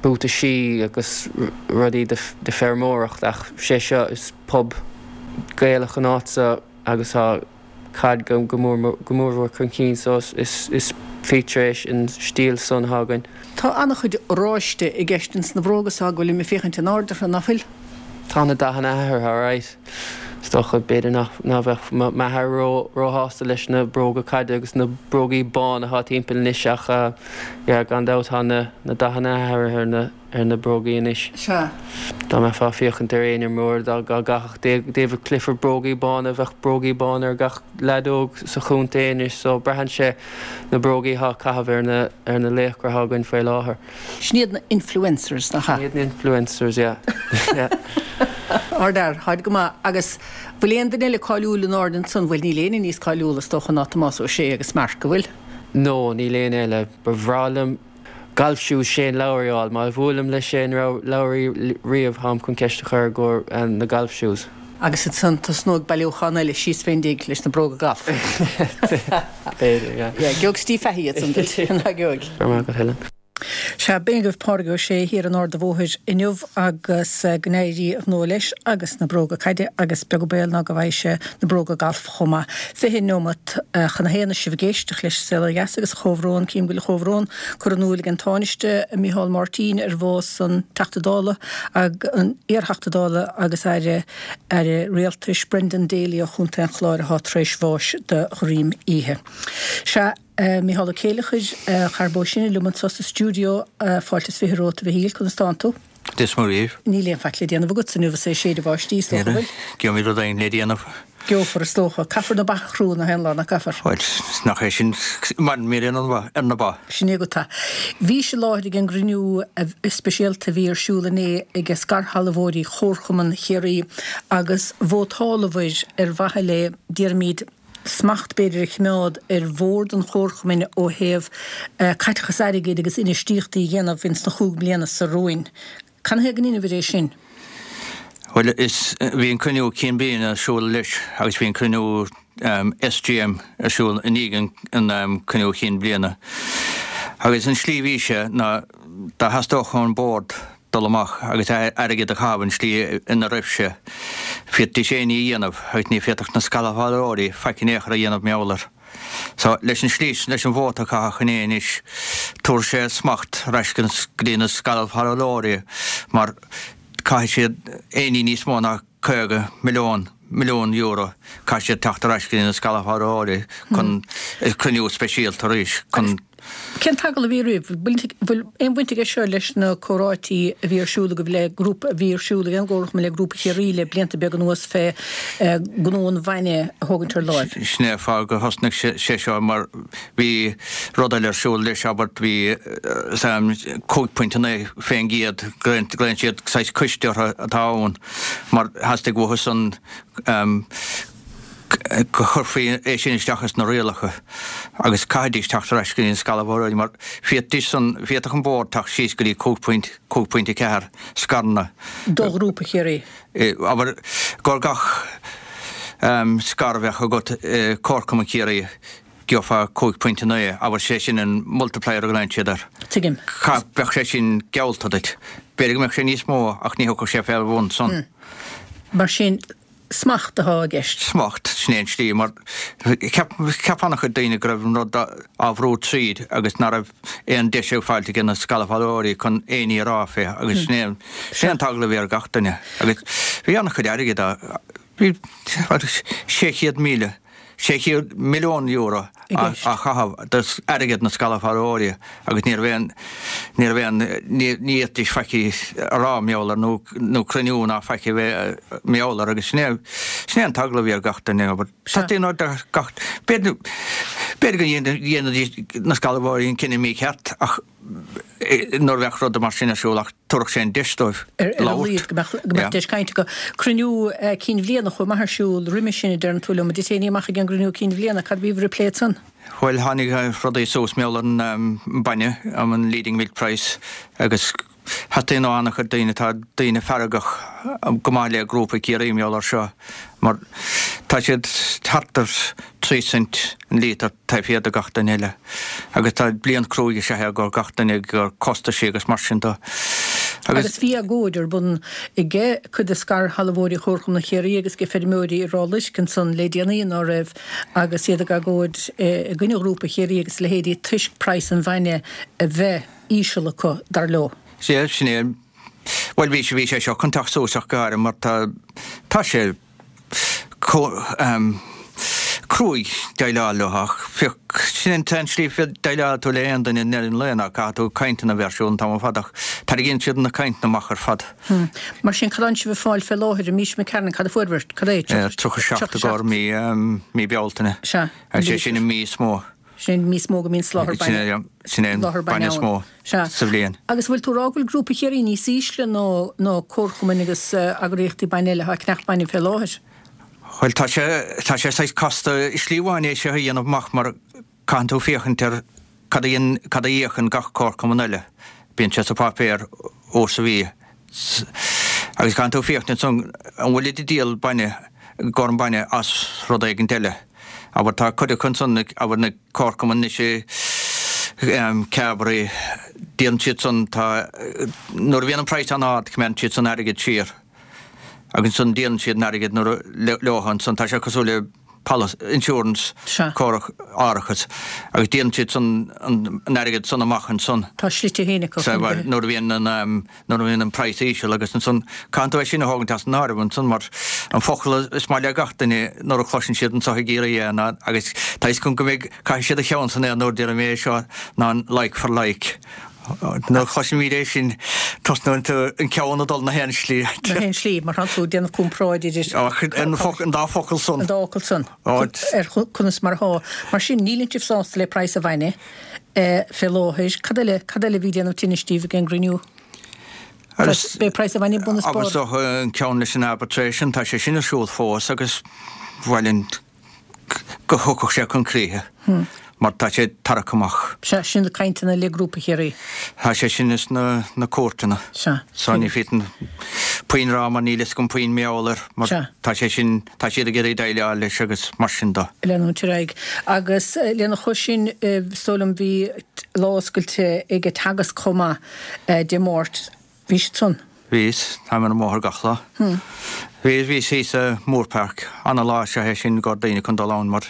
buataisí agus rudaí de feirmeoireacht ach sé seo is pub Gaelach an áit so agus tá caid go mórmhór chun cinn so is feature é an stíl san atá againn. Tá an-chuid oráiste i gceist ins na bróga so go bhfuilim ag féachaint in airde orthu, ná fuil? Tá na dathanna athraithe alright. Is dócha b'fhéidir nach bheadh m'athair róshásta leis na bróga caide agus na brógaí bána atá timpeall anois ach yeah gan dabht tá na dathanna athraithe ar na ar na brógaí anois. Sea. Dá mbeifeá ag féachaint ar aon imreoir, dá gcaithfeadh David Clifford brógaí bána, bheadh brógaí bána ar gach leaid óg sa chontae anois so braitheann sé na brógaí atá á caitheamh ar na ar na laochra atá againn faoi láthair. Sin iad na influencers, nach ea? Sin iad na influencers, yeah. Yeah. Ardfhear, táid go maith. Agus bhfuil aon duine eile cáiliúil in airde ansan? Bhuel, níl éinne níos cáiliúla is dócha ná Tomás Ó Sé agus Mark, an bhfuil? No, níl éinne eile. Ba bhreá liom Golf shoes Shane Lowry a fháil. Má bhuailim le Shane Lowry riamh, táim chun ceist a chur i gcomhair na golf shoes. Agus ansan tosnóidh bailiúchán eile síos fén dtigh leis na bróga gailf. B'fhéidir, yeah. Yeah, gheobhaidh Steve Fahey iad san duit, ná gheobhaidh? Go raibh maith agat, Helen. Sea, b'in agaibh Pádraig Ó Sé thiar in Ard a' Bhóthair inniu agus go n-éirí a ghnó leis agus na bróga caide agus beag an baol ná go bhfaighidh sé na bróga gailf chomh maith. 20 neomat chun a haon is sibh ag éisteacht leis an Saol Ó Dheas agus comhbhrón, cím go bhfuil comhbhrón curtha in iúl ag an Tánaiste Micheál Martin ar bhás an Teachta Dála an iar-Theachta Dála agus Aire Aire Rialtais Brendan Daly ó Chontae an Chláir atá tar éis bháis de dhroim oíche. Sea, Micheál Ó Céileachair, a chara bó sine liom anso sa stiúideo, fáilte is 20 romhat a Mhichíl, conas tánn tú? Dia is Muire dhaoibh. Níl aon faic le déanamh agatsa inniu is é ag séideadh báistí, is dócha, an bhfuil? Gheobhaimid rud éigin le déanamh. Gheofar, is dócha. Caithfear na ba a chrú nach aon lá, nach gcaithfear? Bhuel, nach é sin mar mír ar na ba. Sin é agat é. Bhís i láthair ag an gcruinniú speisialta a bhí ar siúl inné ag scairshealbhóirí Chomharchumann Chiarraí agus vótáladar ar mhaithe le, déarfaimid, smacht b'fhéidir a choimeád ar bhord an chomharchumainn ó thaobh caiteachas airgid agus infheistíochtaí a dhéanamh ins na chúig mbliana so romhainn. Canathaobh go ndeineabhair é sin? Bhuel, is, bhí an cruinniú cinn bliana ar siúl leis agus bhí an cruinniú SGM ar siúl i ndiaidh an cruinniú chinn bliana. Agus an slí a bhí sé ná dá theastódh ón bord dul amach agus airgead a chaitheamh an slí ina raibh sé. Féadfaidís aon ní a dhéanamh agus ní féadfadh na scairshealbhóirí faic in aon chor a dhéanamh mar gheall air. So, leis an slí sin, leis an vóta a caitheadh inné anois, tabharfaidh sé smacht ar ais go dtí na scairshealbhóirí mar caithfidh siad aon ní níos mó ná 50 milliún, milliún euro, caithfidh siad teacht ar ais go dtí na scairshealbhóirí chun cruinniú speisialta arís chun. Cén t-agallamh a bhí oraibh? Bhfuil aon bhaint aige seo leis na comhráití a bhí ar siúl agaibh le grúpa, a bhí ar siúl ag an gComharchumann le Grúpa Chiarraí le blianta beaga anuas fé gnó an bhainne a thógaint ar láimh? Sin é an fáth gur thosnaigh sé seo mar bhí rud eile ar siúl leis, abair, bhí 5.9 fén gcéad, glaonn siad saghas coiste orthu atá ann mar theastaigh uathu san. Go gcuirfí é sin isteach ins na rialacha agus caithfidís teacht ar ais go dtí na scairshealbhóirí mar féadfaidís san, féadfadh an Bord teacht síos go dtí 5.4 scaireanna. Do Ghrúpa Chiarraí. Abair gur gach scair a bheadh agat i Comharchumann Chiarraí gheofá 5.9, abair sé sin an multiplier a ghlaonn siad air. Tuigim. Bheadh sé sin geallta duit. B'fhéidir go mbeadh sé níos mó ach ní thiocfadh sé fé bhun san. Mar sin, Smacht atá i gceist. Smacht, sin é an tslí, mar cheap, cheap an-chuid daoine go raibh an rud á bhrú tríd agus ná raibh aon deis ag fáilt ag na scairshealbhóirí chun aon ní a rá fé agus sin é, sin é an t-eagla a bhí ar gach duine. Agus bhí an-chuid airgid á, bhí 600,000, €600 milliún á chaitheamh d'airgead na scairshealbhóirí agus ní raibh aon, ní raibh aon, ní fhéadfaidís faic a rá mar gheall air nó, nó cruinniú ná faic a bheith mar gheall air agus sin é, sin é an t-eagla a bhí ar gach duine. Abair, teastaíonn ó gach, b'fhéidir, b'fhéidir go ndéanfaidís na scairshealbhóirí an cinneadh mícheart ach, nuair a bheadh rud mar sin ar siúl ach tabharfadh sé an deis dóibh labhairt. Ar a laghad go mbeadh deis cainte acu. Cruinniú cinn bhliana chomh maith ar siúl roimhe sin a deireann tú liom. An dtit aon ní amach ag an gcruinniú cinn bhliana? Cad a bhí bhur bplé ansan? Bhuel tháinig rudaí suas mar gheall ar an bainne, an leading milk price agus theastaíonn ó an-chuid daoine, tá daoine feargach go maith le Grúpa Ciarraí mar gheall ar seo mar tá siad thart ar 3 cent an líotar taobh thiar de gach duine eile agus tá bliain cruaidh is ea é do gach duine ag costaisí agus mar sin de agus. Agus bhí agóid ar bun age cuid de scairshealbhóirí Chomharchumann Chiarraí agus age feirmeoirí i Ráth Luisc ansan le déanaí ná raibh agus iad ag agóid i gcoinne Ghrúpa Chiarraí agus a leithéidí toisc praghas an bhainne a bheith íseal acu, dar leo. Sea, sin é. Bhuel, bhí bhí sé seo chun teacht suas ach go háirithe mar tá tá sé cruaidh déileáil leo ach féach, sin an t-aon slí déileáil tú le aon duine i ndeireadh an lae ná caithfidh tú cainteanna a bheith ar siúl an t-am ar fad ach tarraingíonn siad na cainteanna amach ar fad. Mar sin, cad atánn sibh ag fáil fé láthair i mí McCarron, cad a fuair, cad é? 37 i gcomhair mí, mí Bealtaine. Sea. Agus sé sin an mí is mó. Sin an mí is mó go mbíonn soláthar bainne. Sin é an bainne is mó sa bhliain. Agus bhfuil tú ag rá go bhfuil Grúpa Chiarraí níos ísle ná ná comharchumainn agus eagraíochtaí bainne eile atá ag ceannach bainne fé láthair? Bhuel, tá sé, tá sé saghas casta i slí amháin é seo a dhéanamh amach mar caitheann tú féachaint ar cad a dhein, cad a íocann gach comharchumann eile. Bíonn sé sa pháipéar uair sa mhí. Agus caitheann tú féachaint ansan an bhfuilid ag díol bainne, gcomhair an bainne as rud éigint eile. Abair tá cuid acu ansan, abair na comharchumainn anois i Carbery, díolann siad san, tá, nuair a bhíonn an praghas an-ard coimeádann siad san airgead siar agus ansan díolann siad an airgead nuair a, leo ansan, tá sé cosúil le policy, insurance, córach, árachas agus díolann siad san an airgead san amach ansan. Tá slite féin acu chun go. Nuair a bhíonn an, nuair a bhíonn an praghas íseal agus ansan caitheann tú é sin a thógaint as an áireamh ansan mar an focal is maith le gach duine nuair a chloiseann siad anso i gCiarraí é ná agus tá fhios agam go mbeidh, caithfidh siad a cheann san aer nuair a déarfaidh mé é seo ná an like for like. Nuair a chloisimid é sin tosnaíonn tú an ceann ag dul na haon slí. Na haon slí, mar tá tú ag déanamh comparáid idir. An focal, an dá focal san. An dá fhocal san. Ar conas mar atá. Mar sin, níleann sibh sásta le praghas an bhainne fé láthair. Cad eile, cad eile a bhí ag déanamh tinnis daoibh ag an gcruinniú? B'é praghas an bhainne bun is barr. Agus an ceann leis an arbitration, tá sé sin ar siúl fós agus bhuel an go thiocfadh sé chun críche mar tá sé tarraicthe amach. Sea, sin na cainteanna le Grúpa Chiarraí. Tá sé sin ins na na cúirteanna. Sea. So ní féadfainn puinn a rá mar níl fhios agam puinn mar gheall air mar Sea. tá sé sin, tá siad ag iarraidh déileáil leis agus mar sin de. Leanúint ar aghaidh. Agus lena chois sin, is dóigh liom, bhí lá oscailte ag Teagasc chomh maith Dé Máirt. Bhís ansan? Bhíos. Táim ar an mbóthar gach lá. Bhíos, bhíos thíos i Moorepark. Ana lá is ea é sin i gcomhair daoine chun dul ann mar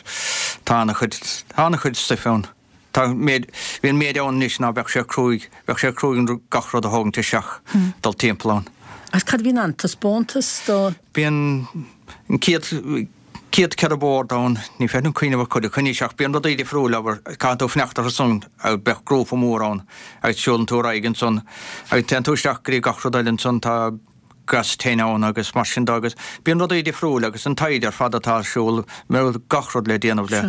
tá ana chuid, tá ana chuid stuif ann. Tá méid, bhí an méid ann anois ná beadh sé cruaidh, bheadh sé cruaidh an gach rud a thógaint isteach, dul timpeall ann. Agus cad a bhíonn ann? Taispeántas do. Bíonn an chéad, chéad 4 bord ann, ní féidir liom cuimhneamh ar chuid acu anois ach bíonn rudaí difriúil, abair, caitheann tú fanacht orthu san agus bheadh grúpa mór ann agus siúlann tú ar aghaidh ansan agus téann tú isteach go dtí gach rud eile ansan, tá gas tine ann agus mar sin de agus bíonn rudaí difriúil agus an taighde ar fad atá ar siúl, gach rud le déanamh le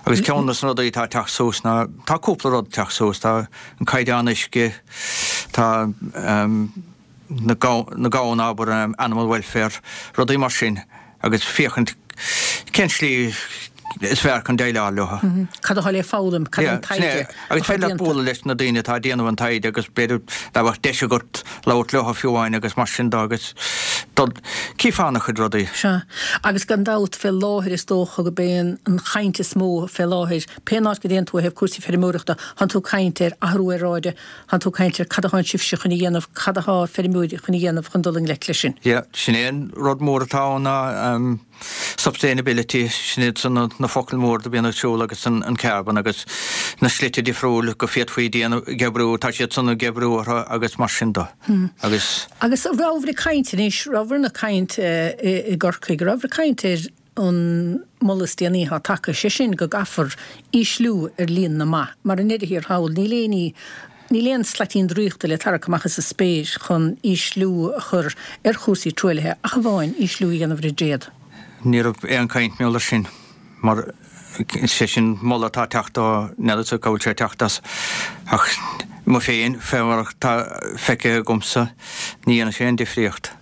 agus ceann de na rudaí atá ag teacht suas ná, tá cúpla rud ag teacht suas, tá an caighdeán uisce, tá na gamhna, abair, animal welfare, rudaí mar sin agus féachaint. Cén slí is fearr chun déileáil leo? Cad atá le foghlaim? Cad é an taighde atá déanta? Agus féidir leat bualadh leis na daoine atá ag déanamh an taighde agus b'fhéidir dá mbeadh deis agat labhairt leo fiú amháin agus mar sin de agus dul, cífeá ana-chuid rudaí. Sea. Agus gan dabht, fé láthair is dócha go b'é an chaint is mó fé láthair, pé áit go dtéann tú ó thaobh cúrsaí feirmeoireachta, tánn tú ag caint ar athrú aeráide, Tánn tú ag caint ar cad atánn sibhse chun a dhéanamh, cad atá feirmeoirí chun a dhéanamh chun dul i ngleic leis sin. Yeah, sin é an rud mór atá ann ná sustainability, sin iad san na focail mór do bhíonn ar siúl agus an carbon agus na slite difriúil go féadfaí déanamh, ag oibriú, tá siad san ag oibriú orthu agus mar sin de. Agus. Agus rabhabhair ag caint anois, rabhabhair ag caint i gCorcaigh, rabhabhair ag caint ar an moladh is déanaí atá tagtha, sé sin go gcaithfear ísliú ar líon na mba, mar i ndeireadh thiar thall, níl aon ní, níl aon slaitín draíochta le tarrac amach as an spéir chun ísliú a chur ar chúrsaí truaillithe ach amháin ísliú a dhéanamh ar an dtréad. Ní raibh aon chaint mar gheall air sin, mar sé sin moladh atá ag teacht ó, n'fheadar cá bhfuil sé ag teacht as, ach mo féin, fé mar atá feicthe agamsa, ní dhéanfaidh sé aon difríocht.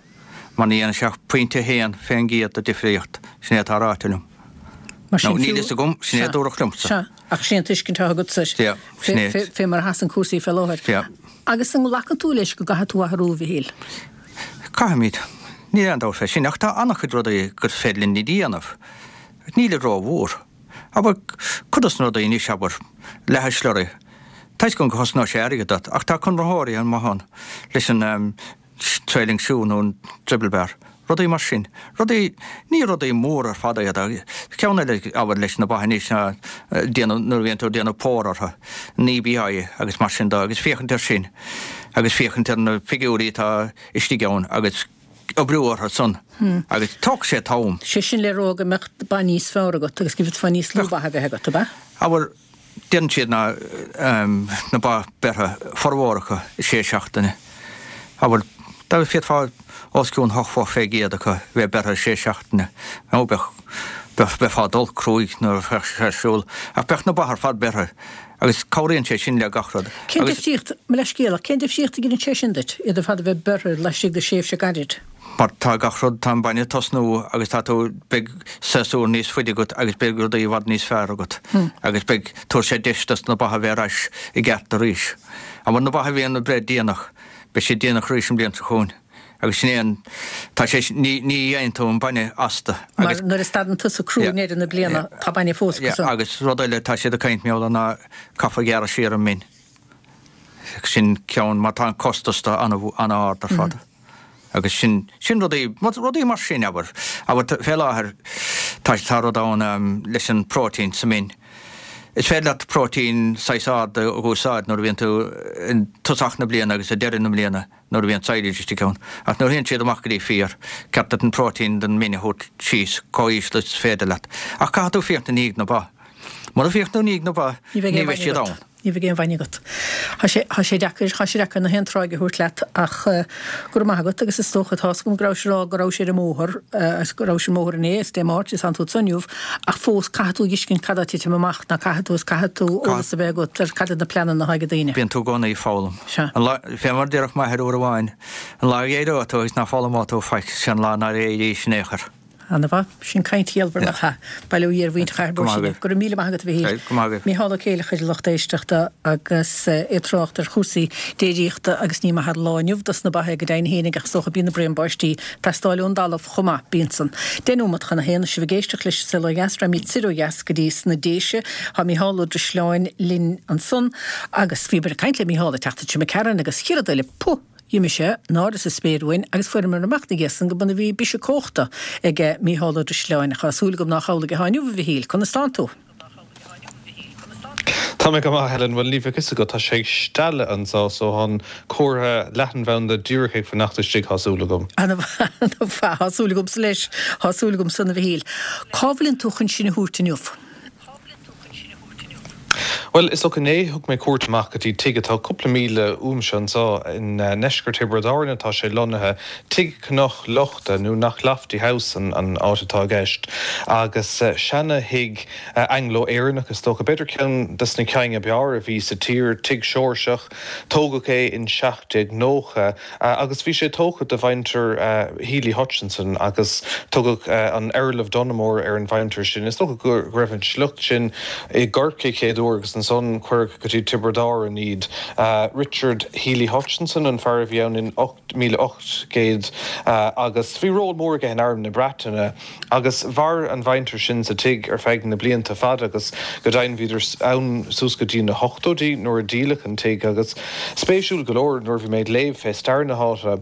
Mar ní dhéanfaidh sé ach pointe 1% de difríocht, sin é atá ráite liom. Mar sin Nó níl fiú, fhios agam, sin é a sea, dúradh liomsa. sea, ach sin an tuiscint atá agatsa Sea, sin é. fé, fé mar a sheasann cúrsaí fé láthair. Sea. Agus an nglacann tú leis go gcaithfidh tú athrú, a Mhichíl? Caithfimid. Níl aon dabht fé sin, ach tá an-chuid rudaí gur féidir linn a dhéanamh. Nílid ró-mhór. Abair, cuid dos na rudaí anois, abair, leathadh slurry. Tá fhios agam go chosnóidh sé airgead duit, ach tá conraitheoirí an-mhaith ann leis an, trailing shoe nó an dribble bar, rudaí mar sin. Rudaí, ní rudaí móra ar fad iad. Ceann eile, abair, leis na ba anois ná déanamh, nuair a bhíonn tú ag déanamh pór orthu, an EBI agus mar sin de agus féachaint air sin agus féachaint ar na figiúirí atá istigh ann agus oibriú orthu san agus tógfaidh sé t-am. Sé sin le rá go mbeadh ba níos fearr agat agus go bhféadfá níos lú ba a bheith agat, ab ea? Abair, Déanann siad na na ba beirthe, formhór acu, i sé seachtaine. Abair, dá bhféadfá os cionn hocht bho fé gcéad acu a bheith beirthe i sé seachtaine, nó bheadh, bheadh, bheifeá dul cruaidh nuair a bheadh sé ar siúl, ach bheadh na ba ar fad beirthe, agus cabhraíonn sé sin le gach rud. Cén Agus. difríocht, mo leithscéal, ach cén difríocht a dheineann sé sin duit, iad ar fad a bheith beirthe laistigh de thréimhse gairid? Mar tá gach rud, tá an bainne ag tosnú agus tá tú, beidh séasúr níos faide agat agus beidh rudaí i bhfad níos fearr agat agus beidh, tabharfaidh sé deis dos na ba a bheith ar ais i gceart arís. Abair na ba a bhíonn ag breith déanach, beidh siad déanach arís an bhliain seo chugainn agus sin é an, tá sé, ní, ní fhaigheann tú an bainne astu Mar agus. nuair a stadann tusa crú i ndeireadh na bliana, tá bainne fós acu san. Agus rud eile, tá siad ag caint mar gheall air ná caithfear gearradh siar an min. Sin ceann, mar tá an costas de an-ard ar fad. Agus sin, sin rudaí, rudaí mar sin, abair. Abair, fé láthair, tá, tá rud ann leis an próitéin sa min. Is féidir leat próitéin saghas ard a úsáid nuair a bhíonn tú i dtosach na bliana agus ag deireadh na bliana nuair a bhíonn silage istigh ann. Ach nuair a théann siad amach go dtí féar, ceart duit an próitéin den min a thabhairt síos chomh híseal is féidir leat. Ach caithfidh tú féachaint i ndiaidh na ba. Mura bhféachann tú i ndiaidh na ba, ní bheidh siad ann. Ní bheidh aon bhainne agat. Tá sé, tá sé deacair, tá sé deacair na haon tráigh a thabhairt leat ach go raibh maith agat agus is dócha, tá's agam go rabhais ag rá go rabhais ar an mbóthar agus go rabhais ar an mbóthar inné is Dé Máirt is tánn tú anso inniu ach fós caithfidh tú a fheiscint cad tá ag titim amach ná caithfidh tú is caithfidh tú eolas a bheith agat ar cad iad na pleananna atá ag daoine. Bíonn tú i gcónaí ag foghlaim. Sea. An lá, fé mar a déarfadh m'athair uair amháin, an lá a éireoidh tú agus ná foghlaimeoidh tú faic, sé an lá nár éirís in aon chor. Ana-mhaith. Sin caint chiallmhar nach ea? Bail ó Dhia ar mhuintir Chathair Go maith Bó Sine. agaibh. Go raibh míle maith agat a Mhichíl. Go maith agaibh. Mícheál Ó Céileachair, a lucht éisteachta, agus é ag trácht ar chúrsaí déiríochta agus ní maith an lá inniu dos na ba é go deimhin fhéinig ach is dócha bíonn na braon báistí ag teastáil ón dtalamh chomh maith. Bíonn san. Deich nóimeat chun a haon is sibh ag éisteacht leis An Saol Ó Dheas, raghaimid soir ó dheas go dtí sna Déise. Tá Mícheál Ó Drisleáin linn ansan agus bhíomar ag caint le Mícheál an tseachtain seo imigh tharainn agus chéad rud eile, puth! D'imigh sé in airde sa spéir uainn agus fuaireamar amach ina dhiaidh san go b'ionann a bhí biseach cumhachta ag Mícheál Ó Drisleáin. Tá súil agam nách amhlaidh atá inniu, a Mhichíl. Conas tánn tú? Tá mé go maith, Helen. Bhuel, ní bheadh fhios agat, tá sé ag stealladh anseo so tá an comhartha leathanbhanda díreach ag fanacht istigh, tá súil agam. Ana-mhaith, tá súil agamsa leis, tá súil agamsa, a Mhichíl. Cá bhfuileann tú chun sinn a thabhairt inniu? Bhuel, is dócha inné thug mé cuairt amach go dtí tigh atá cúpla míle uaimse anseo i ndeisceart Thiobraid Árann atá sé lonnaithe, Tigh Cnoc Lochta nó Knocklofty House an áit atá i gceist agus seana thigh Anglo-Éireannach is dócha, b'fhéidir ceann des na cinn ab fhearr a bhí sa tír, tigh Seoirseach, tógadh é in 1790. Agus bhí sé tógtha do mhuintir Hely Hutchinson agus tugadh an Earl of Donoughmore ar an mhuintir sin. Is dócha go raibh an sliocht sin i gCorcaigh chéad uair agus ansan cuireadh go dtí Tiobraid Árann iad. Richard Hely Hutchinson an fear a bhí ann in 1800 agus bhí ról mór aige in Arm na Breataine. Agus mhair an mhuintir sin sa tigh ar feadh na blianta fada agus go deimhin bhíodar ann suas go dtí na hochtóidí nuair a díoladh an tigh. Agus spéisiúil go leor nuair a bhí mé ag léamh fé stair na háite,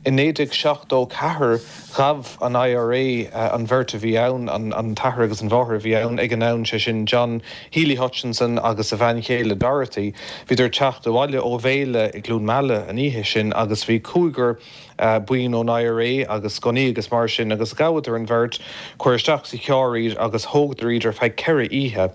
i 1974 ghabh an IRA an bheirt a bhí ann, an t-athair agus an mháthair a bhí ann ag an am, sé sin John Hely Hutchinson agus a bhean chéile Dorothy. Bhíodar ag teacht abhaile ó bhéile i gCluain Meala an oíche sin agus bhí cúigear, buíon ón IRA agus gunnaí agus mar sin agus ghabhadar an bheirt, cuireadh isteach sa charr iad agus thógadar iad ar feadh 4 oíche.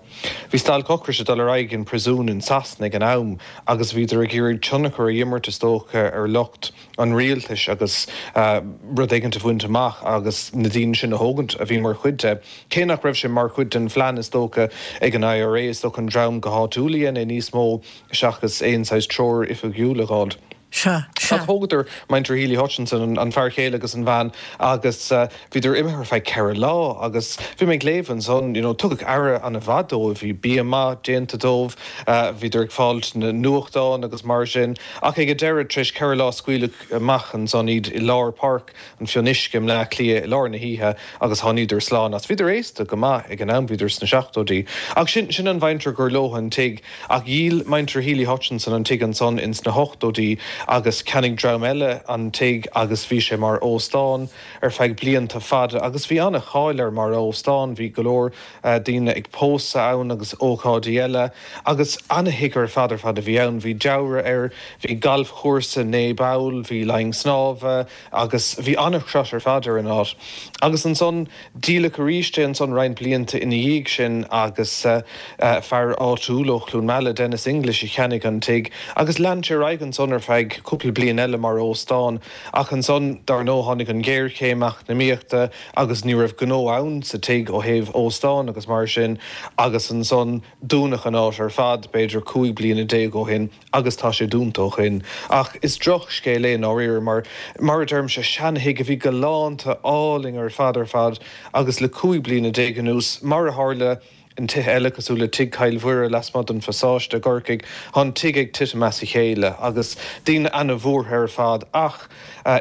Bhí stailc ocrais ag dul ar aghaidh in príosún in Sasana ag an am agus bhíodar ag iarraidh tionchar a imirt is dócha ar lucht an rialtais agus rud éigint a bhaint amach agus na daoine sin a thógaint a bhí mar chuid de. Cé nach raibh sé mar chuid den phlean is dócha ag an IRA, is dócha an dream go háitiúil a dhein é níos mó seachas aon saghas treoir oifigiúil a dh'fháilt. Sea, sea. Ach thógadar muintir Hely Hutchinson, an fear chéile agus an bhean, agus bhíodar imithe ar feadh 4 lá agus bhí mé ag léamh ansan, you know, tugadh aire ana-mhaith dóibh, bhí bia maith déanta dóibh, bhíodar ag fáilt na nuachtán agus mar sin, ach ag an deireadh, tar éis 4 lá scaoileadh amach ansan iad i lár Páirc an Fhionnuisce i mBleá Cliath i lár na hoíche agus tháiníodar slán as. Bhíodar aosta go maith ag an am, bhíodar sna seachtóidí. Ach sin, sin an mhuintir gur leo an tigh. Ach dhíol muintir Hely Hutchinson an tigh ansan ins na hochtóidí agus cheannaigh dream eile an tigh agus bhí sé mar óstán ar feadh blianta fada agus bhí ana-cháil air mar óstán, bhí go leor daoine ag pósadh ann agus ócáidí eile agus ana-thigh ar fad ar fad a bhí ann. Bhí deabhradh air, bhí galfchúrsa 9 bpoll, bhí long snámha agus bhí ana-chrot ar fad ar an áit. Agus ansan Díoladh arís é ansan roinnt blianta ina dhiaidh sin agus fear áitiúil ó Chluain Meala, Denis English, a cheannaigh an tigh agus lean sé ar aghaidh ansan ar feadh cúpla bliain eile mar óstán ach ansan, dar ndóigh, tháinig an ghéarchéim eacnamaíochta agus ní raibh gnó ann sa tigh ó thaobh óstán agus mar sin agus ansan dúnadh an áit ar fad b'fhéidir 15 bliana ó shin. agus tá sé dúnta ó shin. Ach is drochscéal é i ndáiríre mar, mar a deirimse, seanthigh a bhí galánta, álainn ar fad ar fad agus le 15 bliana anuas, mar a tharla in tithe eile cosúil le Tigh Chill Mhuire lasmuigh den Phasáiste i gCorcaigh, tá an tigh ag titim as a chéile agus daoine ana-bhuartha ar fad ach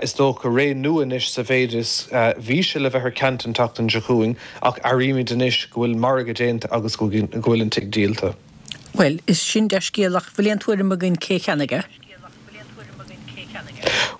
is dócha ré nua anois sa mhéid is bhí sé le bheith ar ceant an tseachtain seo chugainn ach airímid anois go bhfuil margadh déanta agus go bhfuil an tigh díolta. Bhuel, is sin dea-scéal ach bhfuil aon tuairim againn cé cheannaigh é?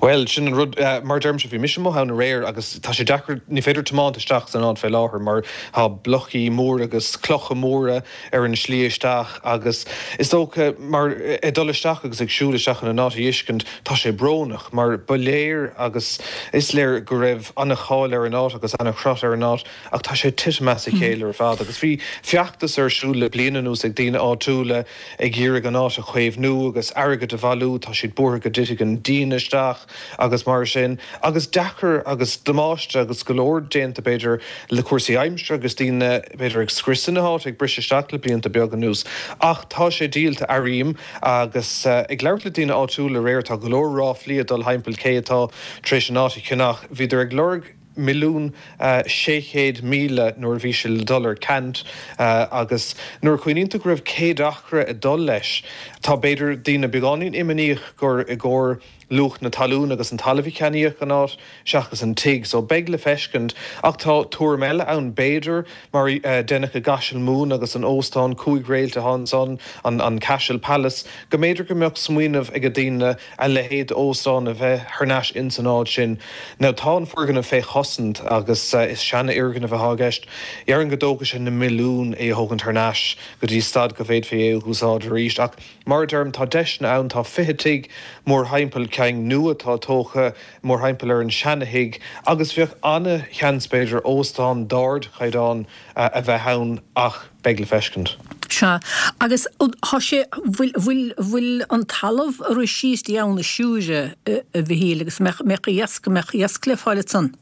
Bhuel, sin an rud, mar a deirimse, bhí mise amuigh ann aréir agus tá sé deacair, ní féidir tiomáint isteach san áit fé láthair mar tá blocaí móra agus clocha móra ar an slí isteach agus is dócha mar ag dul isteach agus ag siúl isteach in an áit a fheiscint, tá sé brónach mar ba léir agus is léir go raibh ana-cháil ar an áit agus ana-chrot ar an áit. Ach tá sé ag titim as a chéile ar fad agus bhí feachtas ar siúl le bliain anuas ag daoine áitiúla ag iarraidh an áit a chaomhnú agus airgead a bhailiú, tá siad buartha go dtitfidh an díon isteach agus mar sin. Agus deacair agus damáiste agus go leor déanta b'fhéidir le cúrsaí aimsire agus daoine b'fhéidir ag scriosadh na háite, ag briseadh isteach le blianta beaga anuas. Ach tá sé díolta, airím, agus ag labhairt le daoine áitiúla aréir tá go leor ráflaí ag dul thimpeall cé atá tar éis an áit a cheannach. Bhíodar ag lorg. 1,600,000 nuair a bhí sé le dul ar ceant agus nuair a chuimhníonn tú go raibh 100 acra ag dul leis, tá b'fhéidir daoine beagáinín imníoch gur i gcomhair luach na talún agus an talaimh a ceannaíodh an áit seachas an tigh. So beidh le feiscint ach tá tuairim eile ann b'fhéidir mar a deineadh i gCaiseal Mumhan agus an óstán cúig réalt atá ansan, an Cashel Palace, go mb'fhéidir go mbeadh smaoineamh ag daoine a leithéid d'óstán a bheith thar n-ais ins an áit sin. Now tá an foirgneamh fé chosaint agus is seana-fhoirgneamh atá i gceist. Dhéarfainn go dtógfaidh sé na milliúin é a thógaint thar n-ais go dtí staid go bhféadfaí é a dh'úsáid arís. Ach mar a deirim, tá deiseanna ann, tá 20 tigh mórthimpeall, ceann nua atá tógtha mórthimpeall ar an seana-thigh agus bheadh ana-sheans b'fhéidir óstán d'ardchaighdeán a bheith ann ach beidh le feiscint. Sea. Agus thá sé, bhfuil, bhfuil, bhfuil an talamh a rith síos dtí Abhainn na Siúire, a Mhichíl, agus an mbeadh, mbeadh iasc, an mbeadh iasc le fáil ansan?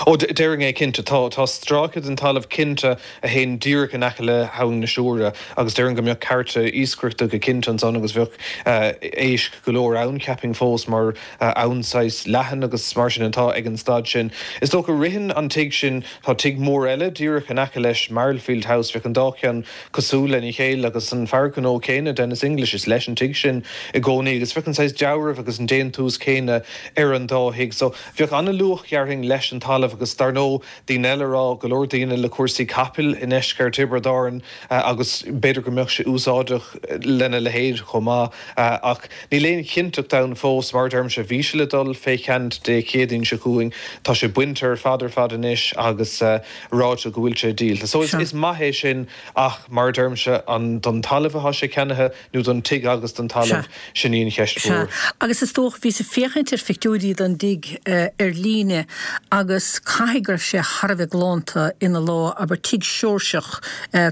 Ó, déarfainn é cinnte. Tá, tá stráice den talamh cinnte a théann díreach in aice le hAbhainn na Siúire agus déarfainn go mbeadh cearta iascaireachta go cinnte ansan agus bheadh éisc go leor ann, cheapfainn fós, mar abhainn saghas leathan agus mar sin atá ag an staid sin. Is dócha, ritheann an tigh sin, tá tigh mór eile díreach in aice leis, Marlfield House, bheadh an dá cheann cosúil lena chéile agus an fear gnó céanna, Denis English, is leis an tigh sin i gcónaí agus bheadh an saghas dealramh agus an déantús céanna ar an dá thigh. So, bheadh an-luach, dhéarfainn, leis an talamh agus dar ndóigh, daoine eile ag rá, go leor daoine le cúrsaí capaill i ndeisceart Thiobraid Árann agus b'fhéidir go mbeadh sé úsáideach lena leithéid chomh maith ach níl aon chinnteacht ann fós. Mar a deirimse, bhí sé le dul fé cheant Dé Céadaoin seo chugainn. Tá sé bainte ar fad ar fad anois agus ráite go bhfuil sé díolta. So is maith é sin ach mar a deirimse, an don talamh atá sé ceannaithe nó don tigh agus don talamh, sin í an cheist mhór. Sea. Agus is dócha, bhíos ag féachaint ar phictiúirí den dtigh ar líne agus caithfidh go raibh sé thar a bheith galánta ina lá, abair, tigh Seoirseach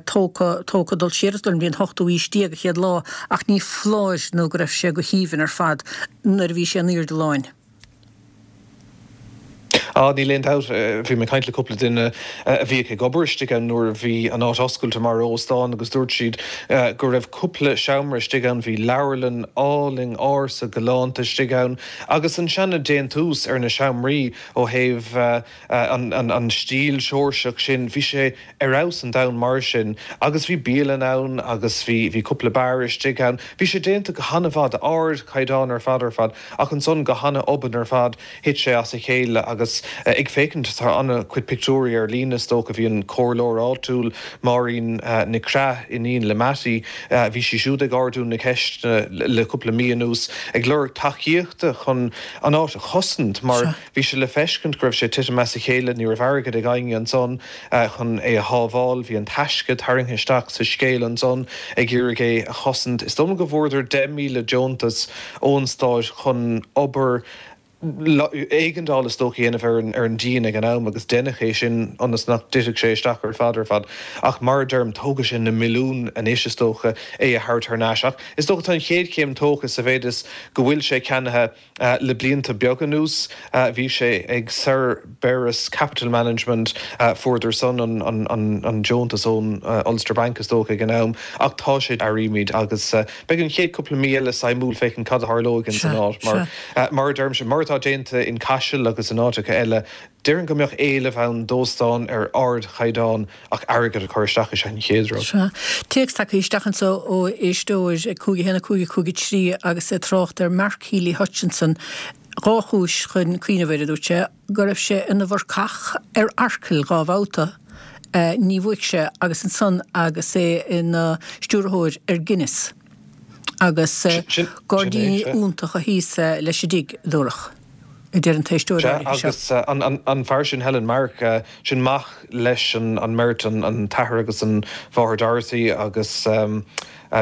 tógtha, tógtha dul siar is don bhliain ochtú aois déag a chéad lá ach ní foláir nó go raibh sé go haoibhinn ar fad nuair a bhí sé in aoirde láin. Á, níl aon dabht. Bhí mé ag caint le cúpla duine a bhíodh ag obair istigh ann nuair a bhí an áit oscailte mar óstán agus dúirt siad go raibh cúpla seomra istigh ann, bhí leabharlann álainn ársa galánta istigh ann agus an seana déantús ar na seomraí ó thaobh an stíl Seoirseach sin, bhí sé ar fheabhas an domhan mar sin agus bhí bialann ann agus bhí, bhí cúpla beár istigh ann. Bhí sé déanta go hana-mhaith, d'ardchaighdeán ar fad ar fad ach ansan go hana-obann ar fad thit sé as a chéile agus ag féachaint, tá ana-chuid pictiúirí ar líne is dócha, bhí an comhairleoir áitiúil Máirín Nic Craith, iníon le Mattie, bhí sí siúd ag ardú na ceiste le cúpla mí anuas ag lorg tacaíochta chun an áit a chosaint mar Bhí sé le feiscint go raibh sé ag titim as a chéile, ní raibh airgead ag éinne ansan chun é a shábháil. Bhí an Taisce tarraingthe isteach sa scéal ansan ag iarraidh é a chosaint. Is dóigh liom go bhfuaireadar 10,000 deontas ón stáit chun obair éigeandála is dócha a dhéanamh ar an díon ag an am agus deineadh é sin ionas nach dtitfeadh sé isteach ar fad ar fad. Ach mar a deirim, tógfaidh sé na milliúin anois is dócha é a thabhairt thar n-ais. Ach is dócha tá an chéad chéim tógtha sa mhéid is go bhfuil sé ceannaithe. Le blianta beaga anuas bhí sé ag Cerberus Capital Management, fuaireadar san an deontas ón Ulster Bank is dócha ag an am, ach tá sé, airímid, agus beidh an chéad cúpla mí eile suimiúil féachaint cad a tharlóidh ins an áit mar, mar a deirimse, mar atá déanta in Caiseal agus in áiteacha eile, déarfainn go mbeadh éileamh ann d'óstán ar ardchaighdeán Ach airgead a chur isteach is ea an chéad rud. Sea. Téacs tagtha isteach anso ó éisteoir ag 5 1 5 5 3 agus é ag trácht ar Mark Hely Hutchinson. Dá chúis chun cuimhneamh air, a dúirt sé, go raibh sé ina mharcach ar Acaill dhá bhabhta, ní bhuaigh sé, agus ansan agus é ina stiúrthóir ar Guinness. Agus gairdíní iontacha thíos leis an dtigh, dúradh. a deir an t-éisteoir Sea, áirithe seo. agus an fear sin, Helen Mark, sin mac leis an mbeirt, an t-athair agus an mháthair Dorothy agus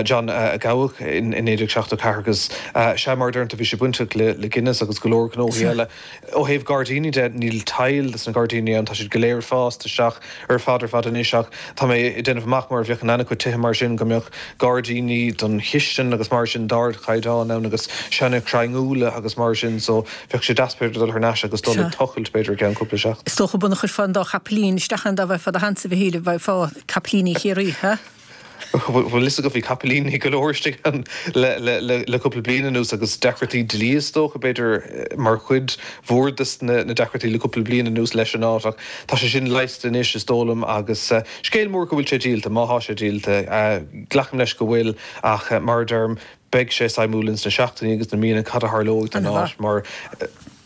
John a gabhadh in 1974 agus sea, mar a deireann tú, bhí sé bainteach le Guinness agus go leor gnóthaí eile. Ó thaobh gairdíní de, níl tadhall de sna gairdíní ann, tá siad go léir fásta isteach ar fad ar fad anois ach tá mé ag déanamh amach mar a bheadh in ana-chuid tithe mar sin go mbeadh gairdíní don chistin agus mar sin d'ardchaighdeán ann agus seana chrainn úlla agus mar sin so bheadh sé deas b'fhéidir dul thar n-ais agus dul ag tochailt b'fhéidir i gceann cúpla seachtain. Is dócha muna chuirfeá an dá chapaillín isteach ann dá bhfaighfeá do sheans a Mhichíl, bhfaighfeá capaillíní Chiarraí, ha? Bhuel fhios agat bhí capaillíní go leor istigh ann le cúpla bliain anuas agus deacrachtaí dlí is dócha b'fhéidir mar chuid mhór de na deacrachtaí le cúpla bliain anuas leis an áit ach tá sé sin leigheasta anois is dóigh liom agus scéal mór go bhfuil sé díolta, má thá sé díolta. Glacaim leis go bhfuil ach mar a deirim beidh sé suimiúil ins na seachtainí agus na míonna cad a tharlóidh don áit mar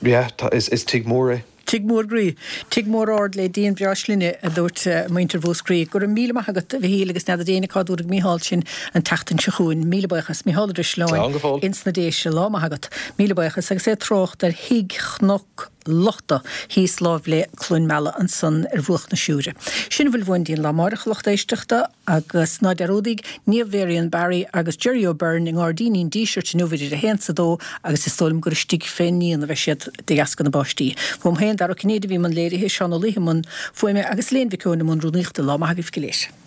yeah is tigh mór é. Tigh mór groí. Tigh mór ard le díon breá slinne, a dúirt muintir Mhúscraí. Go raibh míle maith agat, a Mhichíl, agus n'fheadar éinne cá dtabharfaidh Mícheál sinn an tseachtain seo chugainn. Míle buíochas. Mícheál Ó Drisleáin Slán go fóill. ins na Déise. Lá maith agat. Míle buíochas. Agus é ag trácht ar Thigh Chnoc Lochta thíos láimh le Cluain Meala ansan ar bhruach na Siúire. Sin a bhfuil uainn dtí'n lá amáireach, a lucht éisteachta. Agus ná dearúdaíg, Niamh Mharion Barry agus Jerry O'Byrne i nGairdíní an Dísirt inniu idir a haon 's a dó agus is dóigh liom gur istigh fén ndíon a bheidh siad de dheasca na báistí. Uaim féin, Dara Ó Cinnéide a bhí i mbun léirithe, Seán Ó Laoithe i mbun fuaime agus Elaine Mhic Eoin i mbun rúnaíochta. Lá maith agaibh go léir.